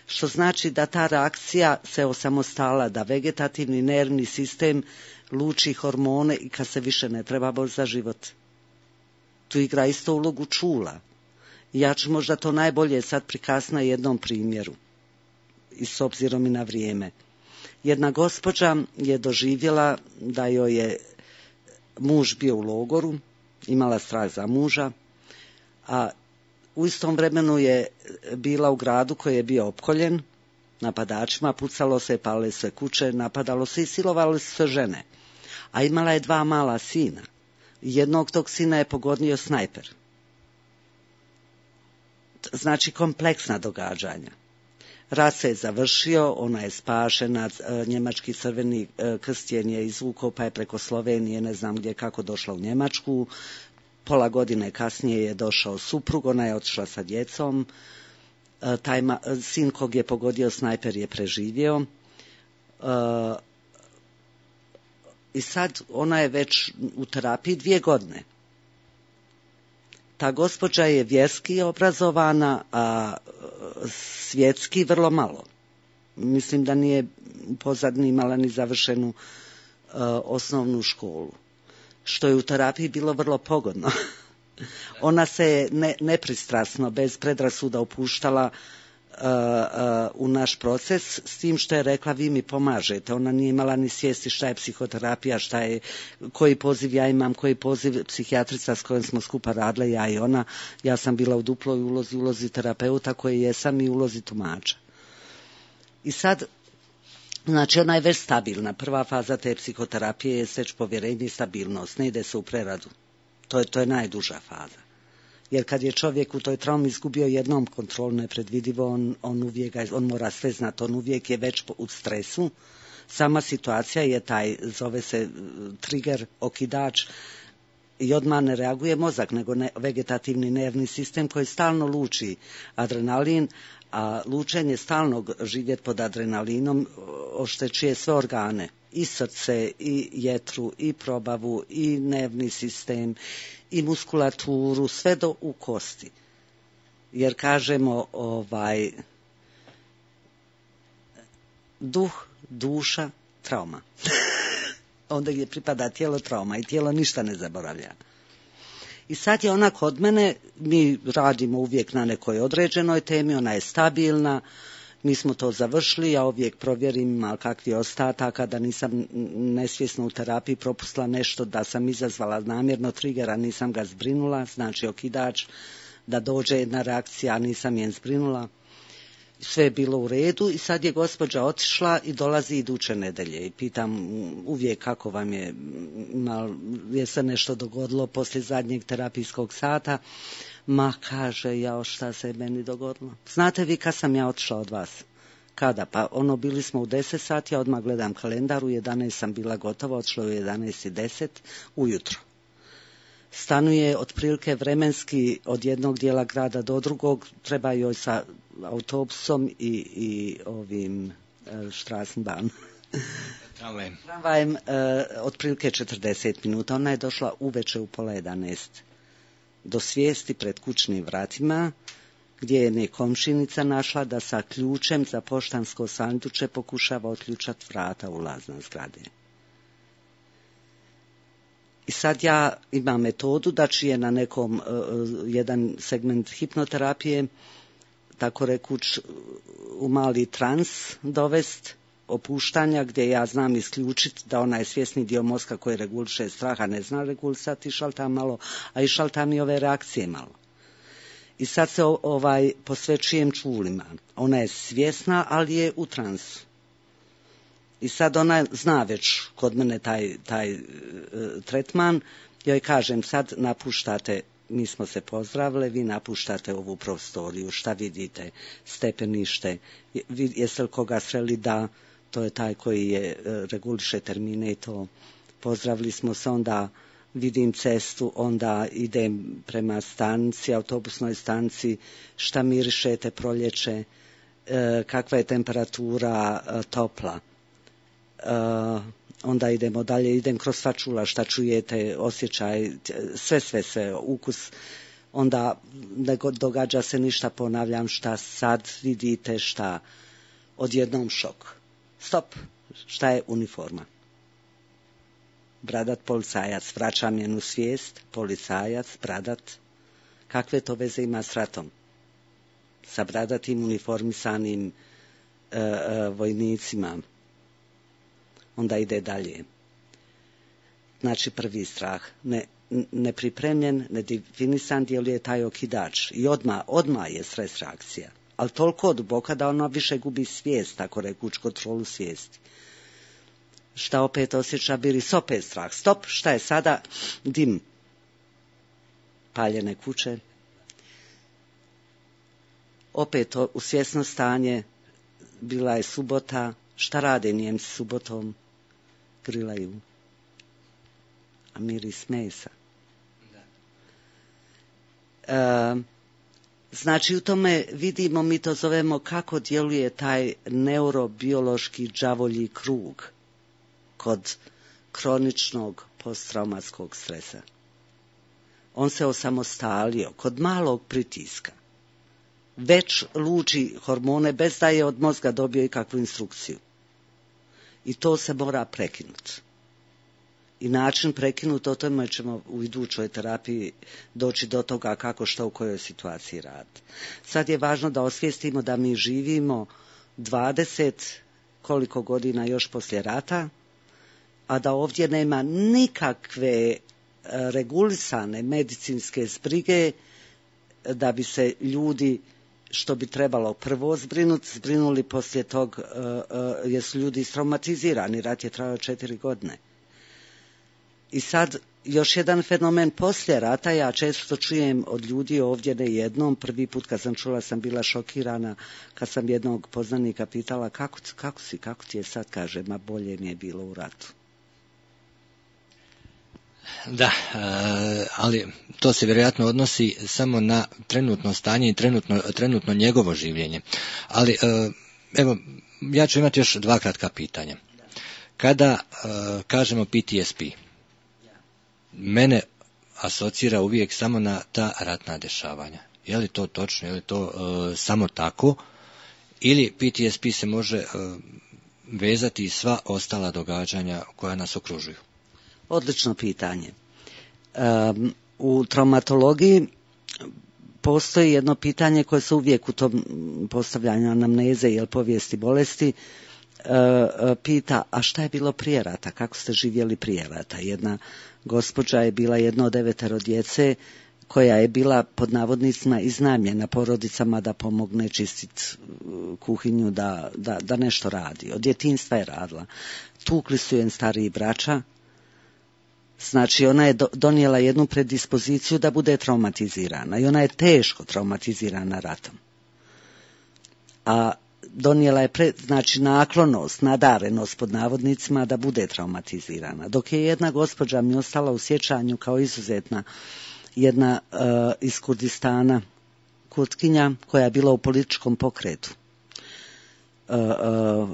Što znači da ta reakcija se osamostala, da vegetativni nervni sistem luči hormone i kad se više ne treba boriti za život. Tu igra isto ulogu čula. Ja ću možda to najbolje sad prikazati na jednom primjeru, i s obzirom i na vrijeme. Jedna gospođa je doživjela da joj je muž bio u logoru, imala strah za muža, a u istom vremenu je bila u gradu koji je bio opkoljen napadačima, pucalo se, palile se kuće, napadalo se i silovalo se žene. A imala je dva mala sina. Jednog tog sina je pogodio snajper. Znači kompleksna događanja. Rat se je završio, ona je spašena, njemački crveni krst je izvukao pa je preko Slovenije, ne znam gdje kako došla u Njemačku. Pola godine kasnije je došao suprug, ona je otišla sa djecom. Taj ma, sin kog je pogodio snajper je preživio. I sad ona je već u terapiji dvije godine. Ta gospođa je vjerski obrazovana, a svjetski vrlo malo. Mislim da nije pozadnji imala ni završenu uh, osnovnu školu. Što je u terapiji bilo vrlo pogodno. Ona se ne, nepristrasno, bez predrasuda upuštala uh, uh, u naš proces, s tim što je rekla vi mi pomažete. Ona nije imala ni svijesti šta je psihoterapija, šta je, koji poziv ja imam, koji poziv psihijatrica s kojom smo skupa radile, ja i ona. Ja sam bila u duploj ulozi, ulozi terapeuta koji jesam i ulozi tumača. I sad, znači ona je već stabilna. Prva faza te psihoterapije je već povjerenje i stabilnost, ne ide se u preradu. To je, to je najduža faza. Jer kad je čovjek u toj traumi izgubio jednom kontrolu nepredvidivo, on, on, uvijek, on mora sve znati, on uvijek je već u stresu. Sama situacija je taj, zove se trigger, okidač, i odmah ne reaguje mozak, nego ne, vegetativni nervni sistem koji stalno luči adrenalin, a lučenje stalnog živjeti pod adrenalinom oštećuje sve organe, i srce, i jetru, i probavu, i nervni sistem, i muskulaturu, sve do u kosti. Jer kažemo, ovaj, duh, duša, trauma. Onda gdje pripada tijelo, trauma, i tijelo ništa ne zaboravlja. I sad je ona kod mene, mi radimo uvijek na nekoj određenoj temi, ona je stabilna, mi smo to završili, ja uvijek provjerim ima kakvi ostataka, da nisam nesvjesno u terapiji propustila nešto, da sam izazvala namjerno trigera, nisam ga zbrinula, znači okidač, da dođe jedna reakcija, a nisam je zbrinula. Sve je bilo u redu i sad je gospođa otišla i dolazi iduće nedelje i pitam uvijek kako vam je, mal, je se nešto dogodilo poslije zadnjeg terapijskog sata. Ma, kaže, jao, šta se meni dogodilo? Znate vi kad sam ja otišla od vas? Kada? Pa ono, bili smo u deset sati, ja odmah gledam kalendar, u jedanaest sam bila gotova, otišla u jedanaest i deset ujutro. Stanuje otprilike vremenski od jednog dijela grada do drugog, treba joj sa autobusom i, i ovim Straßenbahn. Tramvajem? Tramvajem uh, otprilike četrdeset minuta. Ona je došla uveče u pola jedanaest do svijesti pred kućnim vratima, gdje je nekomšinica našla da sa ključem za poštansko sanduče pokušava otključati vrata ulazna zgrade. I sad ja imam metodu da ću je na nekom uh, jedan segment hipnoterapije, tako rekuć, u mali trans dovest, opuštanja, gdje ja znam isključiti da onaj svjesni dio mozga koji reguliše straha ne zna regulisati, šalta malo, a i šalta mi ove reakcije malo. I sad se ovaj posvećujem čulima. Ona je svjesna, ali je u transu. I sad ona zna već kod mene taj, taj e, tretman. Joj kažem, sad napuštate, mi smo se pozdravili, vi napuštate ovu prostoriju, šta vidite, stepenište, jeste li koga sreli, da, to je taj koji je, reguliše termine i to. Pozdravili smo se, onda vidim cestu, onda idem prema stanici, autobusnoj stanici, šta mirišete proljeće, e, kakva je temperatura e, topla. E, onda idemo dalje, idem kroz sva čula, šta čujete, osjećaj, sve, sve, sve, ukus. Onda ne događa se ništa, ponavljam, šta sad vidite, šta, odjednom šok. Stop, šta je uniforma? Bradat policajac, vraćam jednu svijest, policajac, bradat, kakve to veze ima s ratom? Sa bradatim uniformisanim e, e, vojnicima. Onda ide dalje. Znači prvi strah, ne, nepripremljen, nedefinisan, djeluje taj okidač i odmah, odmah je stres reakcija. Ali toliko duboka da ona više gubi svijest, tako rekuć, kontrolu svijesti. Šta opet osjeća biris, opet strah. Stop, šta je sada? Dim. Paljene kuće. Opet u svjesno stanje, bila je subota, šta rade Njemci subotom? Grilaju. A miris mesa. E, znači u tome vidimo, mi to zovemo kako djeluje taj neurobiološki đavolji krug kod kroničnog posttraumatskog stresa. On se osamostalio kod malog pritiska. Već luči hormone bez da je od mozga dobio ikakvu instrukciju. I to se mora prekinuti. I način prekinuti, o tome ćemo u idućoj terapiji doći do toga kako, što, u kojoj situaciji radi. Sad je važno da osvijestimo da mi živimo dvadeset koliko godina još poslije rata, a da ovdje nema nikakve regulisane medicinske zbrige da bi se ljudi, što bi trebalo prvo zbrinuti, zbrinuli poslije tog, uh, uh, jer su ljudi traumatizirani, rat je trajao četiri godine. I sad, još jedan fenomen poslije rata, ja često čujem od ljudi ovdje, ne jednom, prvi put kad sam čula sam bila šokirana, kad sam jednog poznanika pitala kako, kako si, kako ti je sad, kaže, ma bolje mi je bilo u ratu. Da, ali to se vjerojatno odnosi samo na trenutno stanje i trenutno, trenutno njegovo življenje. Ali, evo, ja ću imati još dva kratka pitanja. Kada kažemo P T S P, mene asocira uvijek samo na ta ratna dešavanja. Je li to točno, je li to samo tako, ili P T S P se može vezati i sva ostala događanja koja nas okružuju? Odlično pitanje. Um, u traumatologiji postoji jedno pitanje koje se uvijek u tom postavljanju anamneze ili povijesti bolesti uh, pita, a šta je bilo prije rata, kako ste živjeli prije rata? Jedna gospođa je bila jedna od devetero djece koja je bila pod navodnicima iznajmljena porodicama da pomogne čistiti kuhinju, da, da, da nešto radi. Od djetinjstva je radila. Tukli su jen stariji braća. Znači, ona je donijela jednu predispoziciju da bude traumatizirana i ona je teško traumatizirana ratom. A donijela je, pre, znači, naklonost, nadarenost pod navodnicima da bude traumatizirana. Dok je jedna gospođa mi ostala u sjećanju kao izuzetna, jedna uh, iz Kurdistana, Kurdkinja, koja je bila u političkom pokretu. Uh, uh,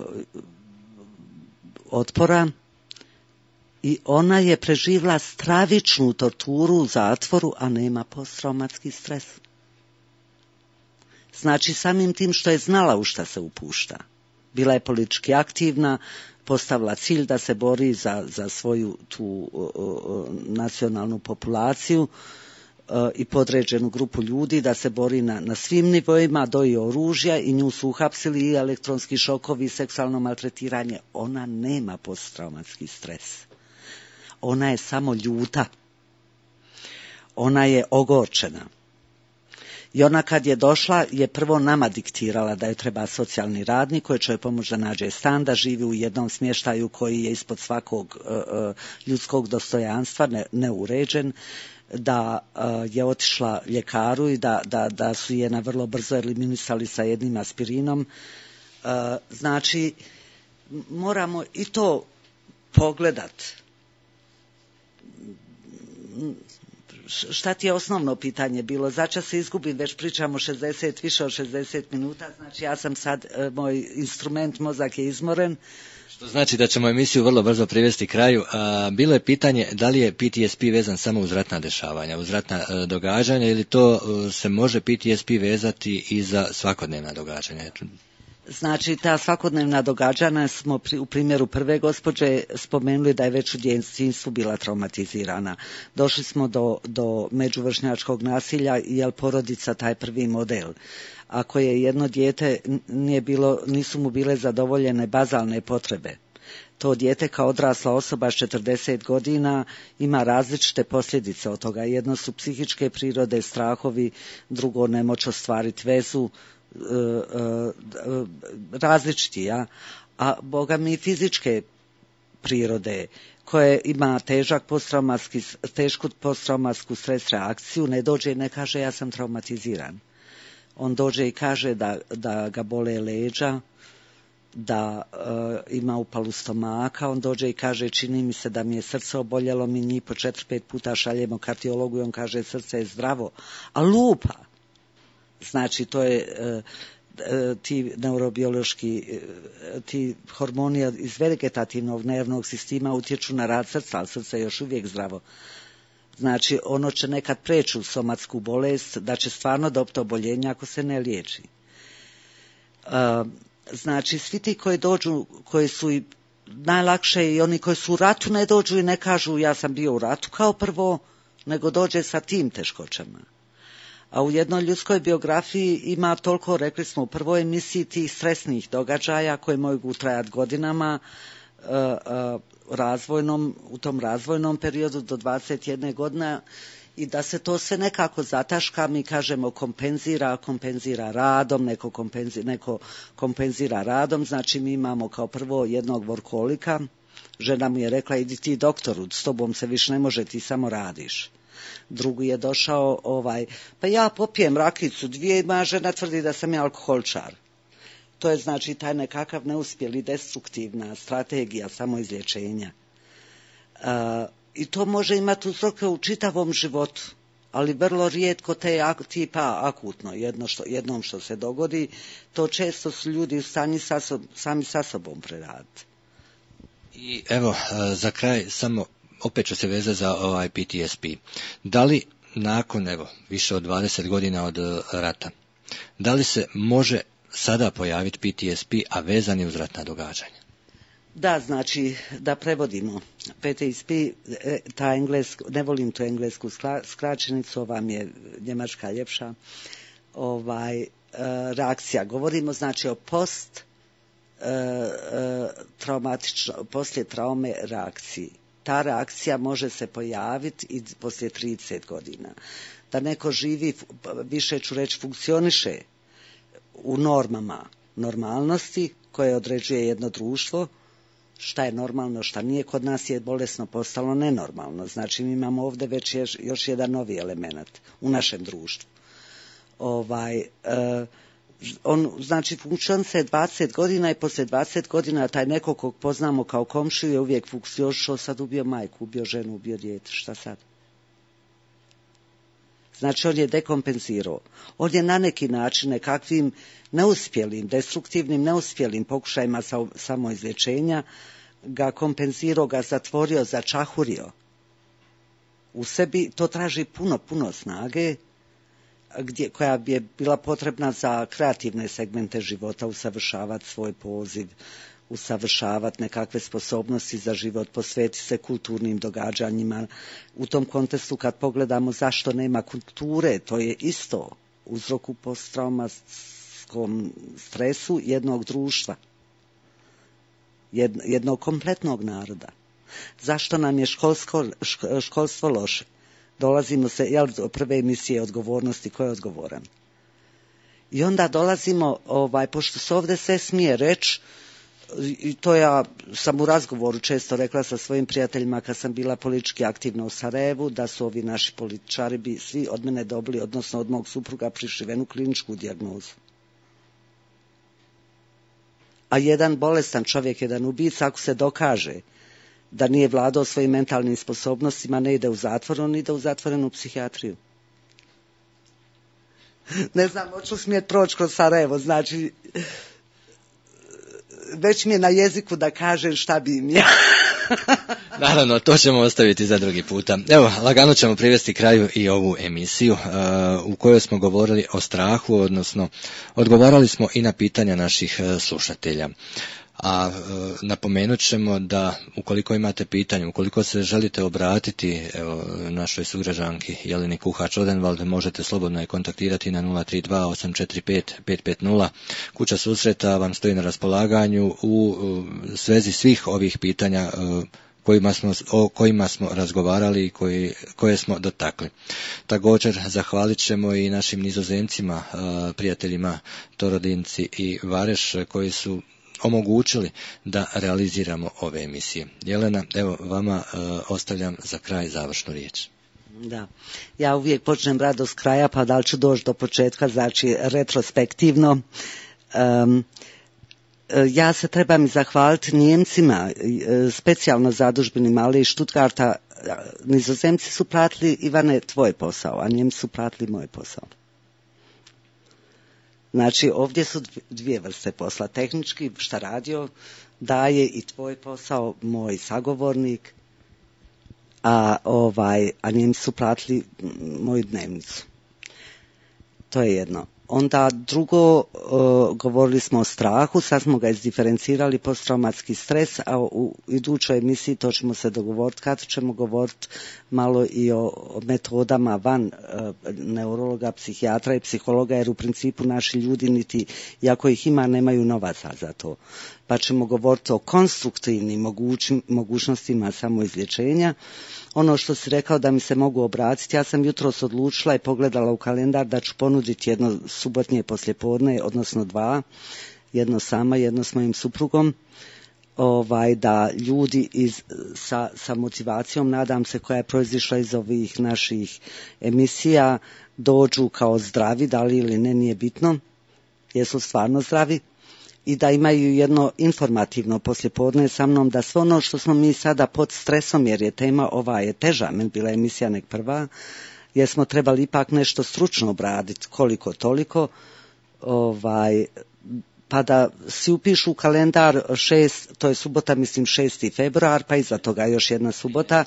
otpora i ona je preživjela stravičnu torturu u zatvoru, a nema posttraumatski stres. Znači, samim tim što je znala u šta se upušta. Bila je politički aktivna, postavila cilj da se bori za, za svoju tu o, o, nacionalnu populaciju o, i podređenu grupu ljudi, da se bori na, na svim nivoima, do i oružja, i nju su uhapsili i elektronski šokovi i seksualno maltretiranje. Ona nema posttraumatski stres. Ona je samo ljuta. Ona je ogorčena. I ona kad je došla je prvo nama diktirala da joj treba socijalni radnik koji će joj pomoći da nađe stan, da živi u jednom smještaju koji je ispod svakog uh, ljudskog dostojanstva, ne, neuređen, da uh, je otišla ljekaru i da, da, da su je na vrlo brzo eliminisali sa jednim aspirinom. Uh, znači, moramo i to pogledat. Šta ti je osnovno pitanje bilo? Začas se izgubim, već pričamo šezdeset, više od šezdeset minuta, znači ja sam sad, moj instrument, mozak je izmoren. Što znači da ćemo emisiju vrlo brzo privesti kraju. A, bilo je pitanje da li je P T S P vezan samo uz ratna dešavanja, uz ratna a, događanja, ili to a, se može P T S P vezati i za svakodnevna događanja? Znači, ta svakodnevna događanja smo pri, u primjeru prve gospođe spomenuli da je već u djetinjstvu bila traumatizirana. Došli smo do, do međuvršnjačkog nasilja, jer porodica taj prvi model. Ako je jedno dijete, nije bilo, nisu mu bile zadovoljene bazalne potrebe, to dijete kao odrasla osoba s četrdeset godina ima različite posljedice od toga. Jedno su psihičke prirode, strahovi, drugo nemoć ostvariti vezu, različiti, ja, a boga mi fizičke prirode koje ima težak posttraumatski, tešku posttraumatsku stres reakciju, ne dođe i ne kaže ja sam traumatiziran. On dođe i kaže da, da ga bole leđa, da e, ima upalu stomaka, on dođe i kaže čini mi se da mi je srce oboljelo, mi njih po četiri, pet puta šaljemo kardiologu i on kaže srce je zdravo, a lupa. Znači, to je e, e, ti neurobiološki, e, ti hormoni iz vegetativnog nervnog sistema utječu na rad srca, ali srce je još uvijek zdravo. Znači, ono će nekad preći u somatsku bolest, da će stvarno dobiti oboljenje ako se ne liječi. E, znači, svi ti koji dođu, koji su i najlakše, i oni koji su u ratu ne dođu i ne kažu ja sam bio u ratu kao prvo, nego dođe sa tim teškoćama. A u jednoj ljudskoj biografiji ima toliko, rekli smo u prvoj emisiji, tih stresnih događaja koji mogu trajati godinama, uh, uh, razvojnom, u tom razvojnom periodu do dvadeset jedne godine, i da se to sve nekako zataška, mi kažemo kompenzira, kompenzira radom, neko kompenzira, neko kompenzira radom, znači mi imamo kao prvo jednog vorkolika, žena mu je rekla idi ti doktoru, s tobom se više ne može, ti samo radiš. Drugi je došao, ovaj, pa ja popijem rakicu dvije, moja žena tvrdi da sam ja alkoholčar. To je znači taj nekakav neuspjeli destruktivna strategija samoizlječenja. E, I to može imati uzroke u čitavom životu, ali vrlo rijetko te tipa akutno, jedno što, jednom što se dogodi, to često su ljudi u stanju sa sob, sami sa sobom preraditi. I evo, za kraj samo opet ću se vezati za ovaj P T S P. Da li nakon, evo, više od dvadeset godina od rata, da li se može sada pojaviti P T S P, a vezan je uz ratna događanja? Da, znači, da prevodimo. P T S P, ta engleska, ne volim tu englesku skraćenicu, ova mi je njemačka ljepša, ovaj, reakcija. Govorimo, znači, o post traumatično, poslije traume reakciji. Ta reakcija može se pojaviti i poslije trideset godina. Da neko živi, više ću reći, funkcioniše u normama normalnosti koje određuje jedno društvo, šta je normalno, šta nije, kod nas je bolesno postalo nenormalno. Znači mi imamo ovdje već još, još jedan novi element u našem društvu. Ovaj, e, on, znači funkcioniše dvadeset godina i poslije dvadeset godina taj neko kog poznamo kao komšiju je uvijek funkcionirao, sad ubio majku, ubio ženu, ubio dijete, šta sad? Znači on je dekompenzirao. On je na neki način nekakvim neuspjelim, destruktivnim neuspjelim pokušajima samoizlječenja ga kompenzirao, ga zatvorio, začahurio. U sebi to traži puno, puno snage, gdje, koja bi je bila potrebna za kreativne segmente života, usavršavati svoj poziv, usavršavati nekakve sposobnosti za život, posvetiti se kulturnim događanjima. U tom kontekstu kad pogledamo zašto nema kulture, to je isto uzrok u posttraumatskom stresu jednog društva, jednog kompletnog naroda. Zašto nam je školsko, školstvo loše? Dolazimo se, jel, do prve emisije odgovornosti, ko je odgovoran? I onda dolazimo, ovaj, pošto se ovdje sve smije reći, i to ja sam u razgovoru često rekla sa svojim prijateljima kad sam bila politički aktivna u Sarajevu, da su ovi naši političari bi svi od mene dobili, odnosno od mog supruga, prišivenu kliničku dijagnozu. A jedan bolestan čovjek, jedan ubica, ako se dokaže da nije vladao svojim mentalnim sposobnostima, ne ide u zatvor, on ide u zatvorenu psihijatriju. Ne znam, hoću smijet proći kroz Sarajevo, znači već mi je na jeziku da kažem šta bi im ja. Naravno, to ćemo ostaviti za drugi puta. Evo, lagano ćemo privesti kraju i ovu emisiju uh, u kojoj smo govorili o strahu, odnosno odgovarali smo i na pitanja naših uh, slušatelja. A e, napomenut ćemo da ukoliko imate pitanje, ukoliko se želite obratiti evo, našoj sugrađanki Jeleni Kuhač-Odenvald, možete slobodno je kontaktirati na nula tri dva osam četiri pet pet pet nula. Kuća susreta vam stoji na raspolaganju u e, svezi svih ovih pitanja e, kojima smo, o kojima smo razgovarali i koji, koje smo dotakli. Također zahvalit ćemo i našim Nizozemcima, e, prijateljima Torodinci i Vareš, koji su omogućili da realiziramo ove emisije. Jelena, evo vama e, ostavljam za kraj završnu riječ. Da, ja uvijek počnem rado s kraja, pa da li ću doći do početka, znači retrospektivno. Um, ja se trebam i zahvaliti Nijemcima, specijalno zadužbini Male iz Stuttgarta. Nizozemci su pratili, Ivane, tvoj posao, a Nijemci su pratili moj posao. Znači, ovdje su dvije vrste posla. Tehnički, šta radio, daje i tvoj posao, moj sagovornik, a, ovaj, a Njemci su platili moju dnevnicu. To je jedno. Onda drugo, uh, govorili smo o strahu, sad smo ga izdiferencirali, posttraumatski stres, a u idućoj emisiji to ćemo se dogovoriti, kad ćemo govoriti malo i o, o metodama van uh, neurologa, psihijatra i psihologa, jer u principu naši ljudi niti, iako ih ima, nemaju novaca za to. Pa ćemo govoriti o konstruktivnim mogući, mogućnostima samoizlječenja. Ono što si rekao da mi se mogu obratiti, ja sam jutros odlučila i pogledala u kalendar da ću ponuditi jedno subotnje poslijepodne, odnosno dva, jedno sama, jedno s mojim suprugom, ovaj, da ljudi iz, sa, sa motivacijom, nadam se, koja je proizišla iz ovih naših emisija, dođu kao zdravi, da li ili ne, nije bitno, jesu stvarno zdravi, i da imaju jedno informativno poslijepodne sa mnom, da sve ono što smo mi sada pod stresom, jer je tema ova je teža, meni bila emisija nek prva, jer smo trebali ipak nešto stručno obraditi, koliko toliko, ovaj, pa da si upišu u kalendar šest, to je subota, mislim šesti februar, pa iza toga još jedna subota,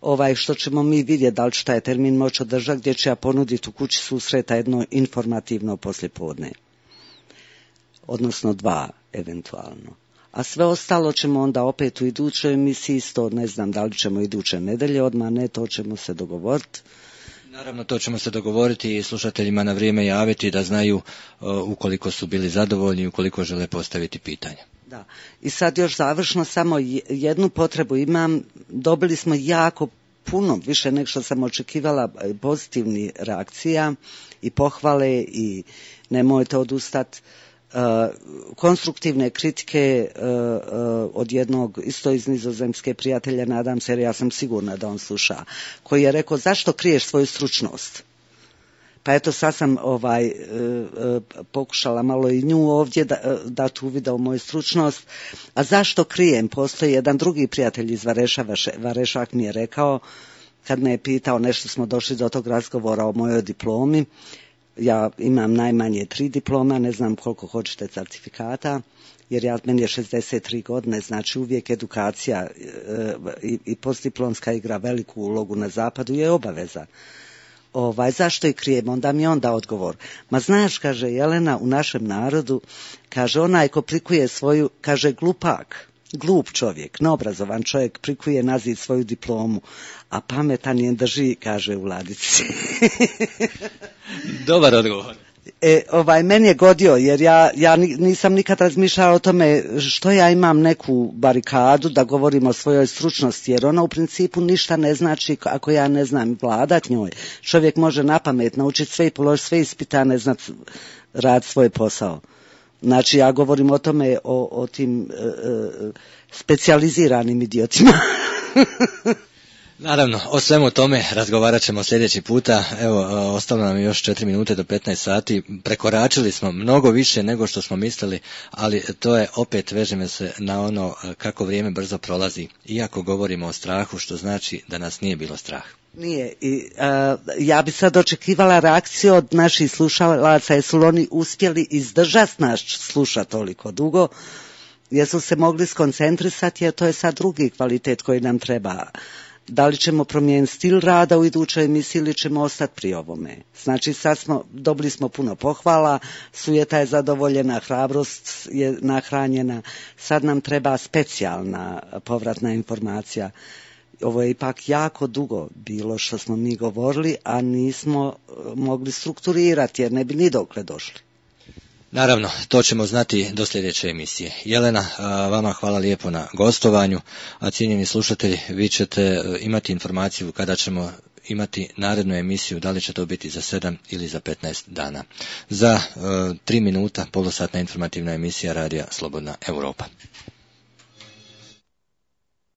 ovaj, što ćemo mi vidjeti da li će taj termin moći održati, gdje ću ja ponuditi u kući susreta jedno informativno poslijepodne. Odnosno dva, eventualno. A sve ostalo ćemo onda opet u idućoj emisiji, isto ne znam da li ćemo iduće nedelje, odmah ne, to ćemo se dogovoriti. Naravno, to ćemo se dogovoriti i slušateljima na vrijeme javiti da znaju uh, ukoliko su bili zadovoljni, ukoliko žele postaviti pitanja. Da. I sad još završno samo jednu potrebu imam, dobili smo jako puno, više nego što sam očekivala, pozitivnih reakcija i pohvale i nemojte odustati. Uh, konstruktivne kritike uh, uh, od jednog isto iz Nizozemske prijatelja, nadam se, jer ja sam sigurna da on sluša, koji je rekao zašto kriješ svoju stručnost. Pa eto sad sam ovaj, uh, uh, pokušala malo i nju ovdje da, uh, dati uvida u moju stručnost. A zašto krijem? Postoji jedan drugi prijatelj iz Vareša, Varešak mi je rekao, kad me je pitao, nešto smo došli do tog razgovora o mojoj diplomi, Ja imam najmanje tri diploma, ne znam koliko hoćete certifikata, jer ja, meni je šezdeset tri godine, znači uvijek edukacija e, i, i postdiplomska igra veliku ulogu na zapadu, je obaveza. Ovaj, zašto i krijem? Onda mi onda odgovor. Ma znaš, kaže Jelena, u našem narodu, kaže, onaj ko prikuje svoju, kaže, glupak, glup čovjek, neobrazovan čovjek prikuje na zid svoju diplomu, a pametan je drži, kaže, u ladici. Dobar odgovor. E, ovaj, meni je godio, jer ja, ja nisam nikad razmišljala o tome što ja imam neku barikadu da govorim o svojoj stručnosti, jer ona u principu ništa ne znači ako ja ne znam vladat njoj. Čovjek može napamet naučiti sve i položiti sve ispita, ne znat rad svoj posao. Znači, ja govorim o tome, o, o tim e, e, specijaliziranim idiotima. Naravno, o svemu tome razgovarat ćemo sljedeći puta. Evo, ostalo nam još četiri minute do petnaest sati. Prekoračili smo mnogo više nego što smo mislili, ali to je opet, vežeme se na ono kako vrijeme brzo prolazi. Iako govorimo o strahu, što znači da nas nije bilo strah. Nije. I, a, ja bi sad očekivala reakciju od naših slušalaca, jesu li oni uspjeli izdržati nas slušati toliko dugo, jesu se mogli skoncentrisati, jer to je sad drugi kvalitet koji nam treba. Da li ćemo promijeniti stil rada u idućoj emisiji ili ćemo ostati pri ovome. Znači sad smo, dobili smo puno pohvala, sujeta je zadovoljena, hrabrost je nahranjena, sad nam treba specijalna povratna informacija. Ovo je ipak jako dugo bilo što smo mi govorili, a nismo mogli strukturirati jer ne bi ni dokle došli. Naravno, to ćemo znati do sljedeće emisije. Jelena, vama hvala lijepo na gostovanju, a cijenjeni slušatelji, vi ćete imati informaciju kada ćemo imati narednu emisiju, da li će to biti za sedam ili za petnaest dana. Za tri minuta, polosatna informativna emisija Radija Slobodna Europa.